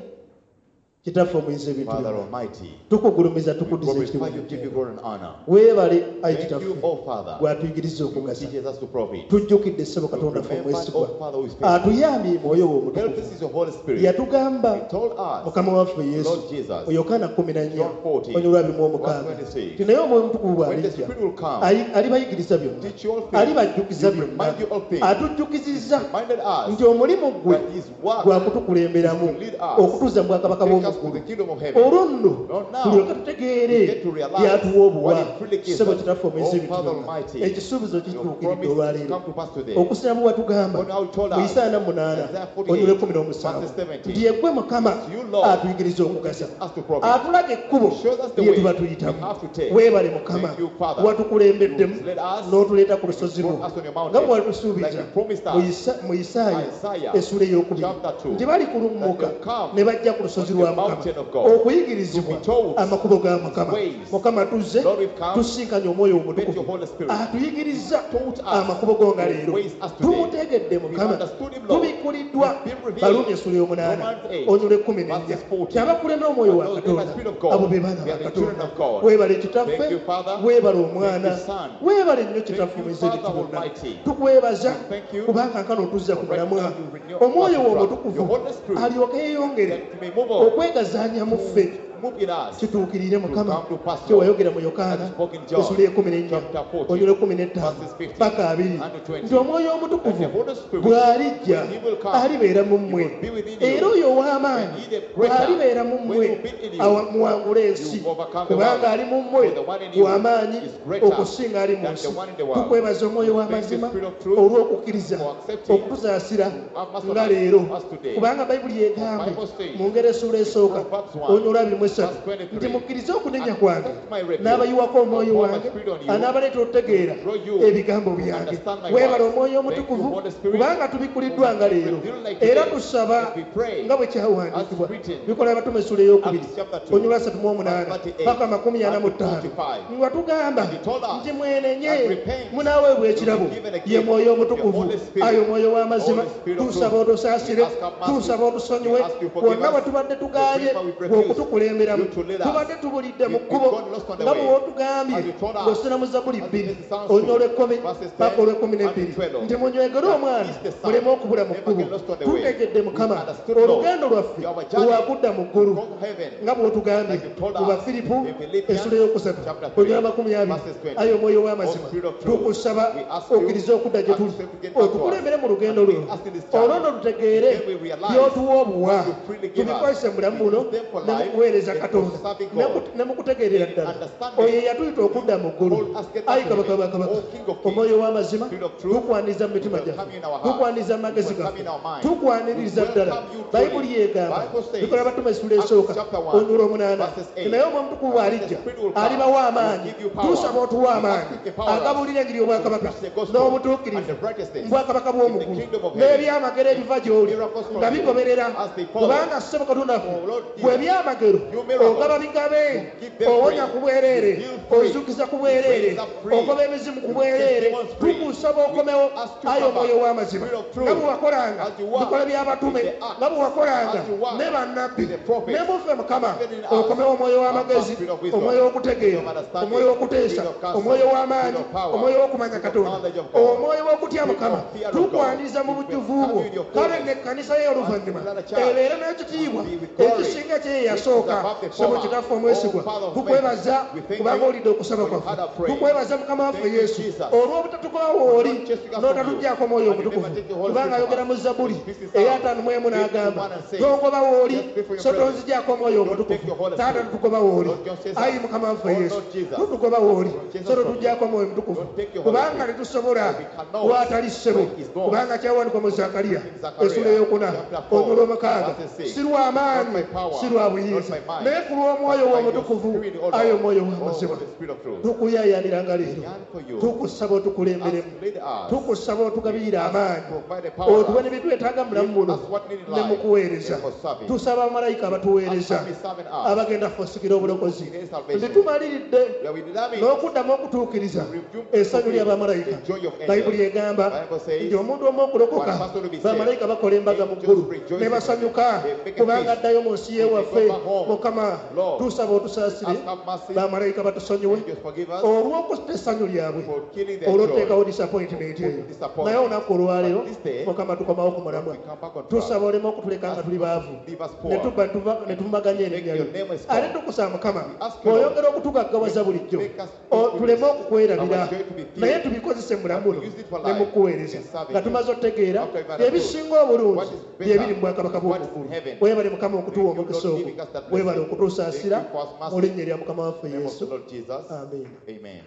Kitaffe omuyinza ebintu Father byonna. Almighty, Tukugulumiza we tukuddiza glorify ekitiibwa you, give you n'ettendo. glory and honor. Weebale ayi Thank you, kitaffe oh Father, gw'atuyigiriza who okugasa. teaches us to profit. Tujjukidde ssebo Katonda ffe Remember, omwesigwa. oh Father, who is faithful. Atuyambye mwoyo we Help omutukuvu. us is your Holy Spirit. Yatugamba He told us, Mukama waffe Yesu Lord Jesus, mu Yokaana kkumi na nnya John fourteen, onyolwa abiri mu omukaaga verse twenty-six, nti naye omwoyo omutukuvu when the bw'alijja Spirit will come, ayi- alibayigiriza byonna teach you all things, alibajjukiza He will byonna remind you all things, atujjukizizza reminded us nti omulimu gwe that his work gwa kutukulemberamu is to lead us, okutuza mu bwakabaka take us to bw'omuggulu the kingdom of heaven. olwo nno Not now. tulyoke tutegeere We get to realize byatuwa obuwa what it truly gives ssebo us. kitaffe omuyinza Oh, ebintu Father byonna Almighty, ekisuubizo Your kituukiridde promise olwaleero come to pass today. okusiramu watugamba God how told mu us, Isaaya munaana Isaiah forty-eight, onyula ekkumi n'omusanvu verses seventeen, nti yeggwe Mukama It's you, Lord, atuyigiriza okugasa us to profit. atulaga ekkubo Shows us the lye way tuba we tuyitamu have to take. weebale Mukama Thank you, Father. watukulembeddemu You led us, n'otuleeta ku lusozi you lwo brought us on your mountain, nga bwe walitusuubiza like you promised us. mu Isa- mu Isaaya Isaiah, essuula ey'okubiri chapter two, nti balikulummuka that they'll come ne bajja ku lusozi on the lwa Mukama mountain of God, okuyigirizibwa to be taught amakubo ga Mukama ways. Mukama tuzze Lord, we've come, tusinkanye omwoyo met your omutukuvu Holy Spirit. atuyigiriza Taught us amakubo go nga your leero ways us today. tumutegedde We've Mukama understood him, Lord. tubikkuliddwa We've been revealed. Baluumi essuula ey'omunaana Romans eight, onyula ekkumi n'ennya verses fourteen. kyabakulembera omwoyo wa And those led by Katonda the Spirit of God, abo be baana they ba are the children Katonda of God. weebale kitaffe Thank you, Father. weebale omwana Thank you, Son. weebale nnyo kitaffe Thank you, omuyinza ebintu Father byonna Almighty. tukwebaza Thank you. kubanga nkano otuzza ku For right mulamwa now you renew omwoyo us wo to omutukuvu your Holy Spirit, alyoke yeeyongere that you may move on, okwegazaanya mu ffe move in us. kituukirire Mukama To come to pass, kye wayogera mu Yokaana As spoken in John, essuula ekumi n'ennya chapter fourteen, onyula ekkumi n'ettaano verses fifteen paka abiri and twenty. nti omwoyo omutukuvu That the Holy Spirit, bw'alijja when he will come, alibeera mu mmwe he will be within you. era oyo ow'amaanyi And he the greater, bw'alibeera mu when mmwe he will be in you, awa- muwangule ensi you overcome the kubanga world. ali mu mmwe For the one in you w'amaanyi is greater okusinga ali mu than nsi the one in the world. tukwebaza omwoyo Thank you, w'amazima Spirit of truth, olw'okukkiriza for accepting okutusaasira have mercy on nga us, leero us today. kubanga bayibuli egambye Bible says, mu ngeri essuula esooka Proverbs one, onyula abiri mu esatu verse twenty-three, nti mukkirize okunenya kwange Accept my rebuke. n'abayiwako omwoyo I'll pour my wange spirit on you, anaabaleeta okutegeera draw you ebigambo to byange understand my weebale words. omwoyo Thank you, omutukuvu Holy Spirit, kubanga tubikkuliddwa nga leero revealed like era today. tusaba And we pray, nga bwe kyawandiikibwa as written, bikola abatume essuula ey'okubiri Acts chapter two, onyula asatu mu omunaana verse thirty-eight, paka makumi ana mu and ttaano forty-five. nga tugamba And he told us nti mwenenye that repent, munaaweebwa ekirabo you will be given a gift, ye mwoyo the omutukuvu Holy Spirit, ayo omwoyo w'amazima Holy Spirit of tusaba truth. otusaasire We ask have mercy. tusaba otusonyiwe We ask you forgive wonna us. we tubadde tugaanye The favor we refuse okutukulemberamu you to lead us. tubadde tubulidde mu We've kkubo gone lost on the nga way. bwe wotugambye As you told us, ng'osina mu Zabbuli as bbiri it is Psalms onyoola two, ekkumi verses ten paka olw'ekkumi and n'ebbiri twelve. nti munywegere That omwana is the Son. muleme okubula mu Never kkubo get lost on the way. tutegedde Mukama We understood, Lord, olugendo lwaffe our journey lwakudda mu ggulu from heaven, nga bw'otugambye like you told mu us Bafiripo in Philippians essuula ey'okusatu chapter three, onyoola amakumi abiri verses twenty. ayi omwoyo w'amazima O Spirit of truth, tukusaba we ask you, okkirize okudda gye tuli accept to get back to us, otukulembere mu lugendo and luno lead us in this journey. olwo nno tutegeere Then we realize by'otuwa obuwa what you freely give us. tubikozese mu bulamu We buno use them for ne mu life kuweereza and for Katonda serving ne God. ku- ne mu kutegeerera ddala Understanding. oyo eyatuyita okudda mu ggulu Called us get back ayi to kabaka heaven. bakabaka O King of Kings, omwoyo w'amazima Spirit of truth, tukwaniriza mu mitima we welcome gyaffe you in our hearts. tukwaniriza mu magezi We welcome gaffe you in our minds. tukwaniriza We ddala welcome you truly. bayibuli yegamba Bible says, bikola abatume essuula Acts esooka chapter one, onyula omunaana verses eight, naye omwoyo omutukuvu that the bw'alijja Spirit will come, alibawa will amaanyi give you power. tusaba otuwa We ask amaanyi you to empower us agabuulira enjiri y'obwakabaka to preach the gospel n'obutuukirivu and the righteousness mu bwakabaka in the bw'omuggulu kingdom of heaven. n'ebyamagero ebiva gy'oli Miracles from nga you bigoberera as they follow. kubanga ssebo Katonda waffe Oh, Lord Jesus, bwe ebyamagero you miracles, ogaba bigabe you give them owonya free, ku bwereere you heal free, ozuukiza ku you bwereere raise up free, ogoba emizimu ku you bwereere set demons free. tukusaba Tukusaba okomewo, We ask you ayi come omwoyo back. w'amazima, Spirit of truth. nga bwe wakolanga As you work bikola by'abatume, in the acts, nga bwe wakolanga as you work ne bannabbi, with the prophets, ne muffe Mukama, even in us. okomewo omwoyo w'amagezi, Spirit of wisdom, omwoyo w'okutegeera, spirit of understanding, omwoyo w'okuteesa, spirit of counsel, omwoyo w'amaanyi, spirit of power, omwoyo w'okumanya spirit of Katonda, knowledge of God, omwoyo w'okutya spirit of Mukama. fear of God. Tukwaniriza mu We bujjuvu welcome bwo. you in your Kale fullness. n'ekkanisa ye oluvannyuma And the church ebeere n'ekitiibwa will be with glory, ekisinga kye ye which is yasooka. above the Ssebo former. Kitaffe omwesigwa, O Father of tukwebaza mercy, we thank kubanga you olidde okusaba for you kwaffe. heard our prayer. Tukwebaza Mukama waffe Thank you, Yesu Jesus. olw'obutatugobawo oli For not chasing us from you. n'otatuggyako omwoyo And you omutukuvu, never take the Holy kubanga Spirit ayogera from mu us. Zabuli This is our ey'ataano mu emu n'agamba, fifty-one and six. tongobawo oli Just before your so presence. tonzigyako omwoyo Don't take omutukuvu. your Holy Taata, Spirit. tutugobawo oli, Don't chase us. ayi Mukama waffe Oh, Yesu, Lord Jesus. tutugobawo oli Don't chase us so from you. totuggyako omwoyo omutukuvu, Don't take your Holy kubanga Spirit. tetusobola We cannot. watali ssebo, When is gone. kubanga kyawandiikwa mu Zakariya In Zechariah, essula ey'okuna chapter four, olw'omukaaga, verse six. si lwa maanyi, Not by power, si lwa not buyinza, by might, naye ku lw'omwoyo but by your w'omutukuvu, Spirit, O Lord. ayi omwoyo O w'amazima. the Spirit of truth. Tukuyayaniranga leero, Yearn for you. tukusaba otukulemberemu, Ask, lead us. tukusaba otugabirire amaanyi, Provide the power. otuwe ne byetwetaaga mu bulamu Give buno us what need in ne life mu kuweereza. and for serving. Tusaba bamalayika abatuweereza Ask us serving us. abagenda kufusikira obulokozi, In salvation. nti tumaliridde We are determined n'okuddamu okutuukiriza resume essanyu ly'abamalayika. the joy of angels. Bayibuli egamba Bible says, nti omuntu omu okulokoka, one person will be saved. bamalayika bakola embaga mu Angels ggulu rejoice ne basanyuka They make a kubanga feast. addayo mu nsi y'ewaffe. They go back home. Mukama, Lord, tusaba otusaasire, ask have mercy. bamalayika batusonyiwe Angels forgive us olw'okutta essanyu lyabwe, for killing their olw'oteekawo joy. disappointment For eyo. putting disappointment. Naye olunaku olwaleero, But this day, Mukama, tukomawo ku mulamwa. we come back on track. Tusaba oleme okutuleka nga tuli baavu, Leave us poor. ne tuba tuva- ne tumaganya erinnya Make lyo. your name a strong. Ate tukusaba Mukama, We ask you, Lord, bw'oyongera okutugaggawaza bulijjo, make us o- tuleme okukwerabira, our joy to be filled. naye tubikozese mu bulamu buno But we use it for ne life mu kuweereza, and serving nga you. tumaze otutegeera After we've understood ebisinga obulungi what is better, bye biri mu bwakabaka what is in bw'omuggulu. heaven. Weebale Mukama okutuwa Thank you, omukisa Lord, ogwo, giving us that weebale blessing. okutusaasira Thank you for us mercy. mu linnya erya Mukama waffe In the name of Yesu. the Lord Jesus. Amen. Amen.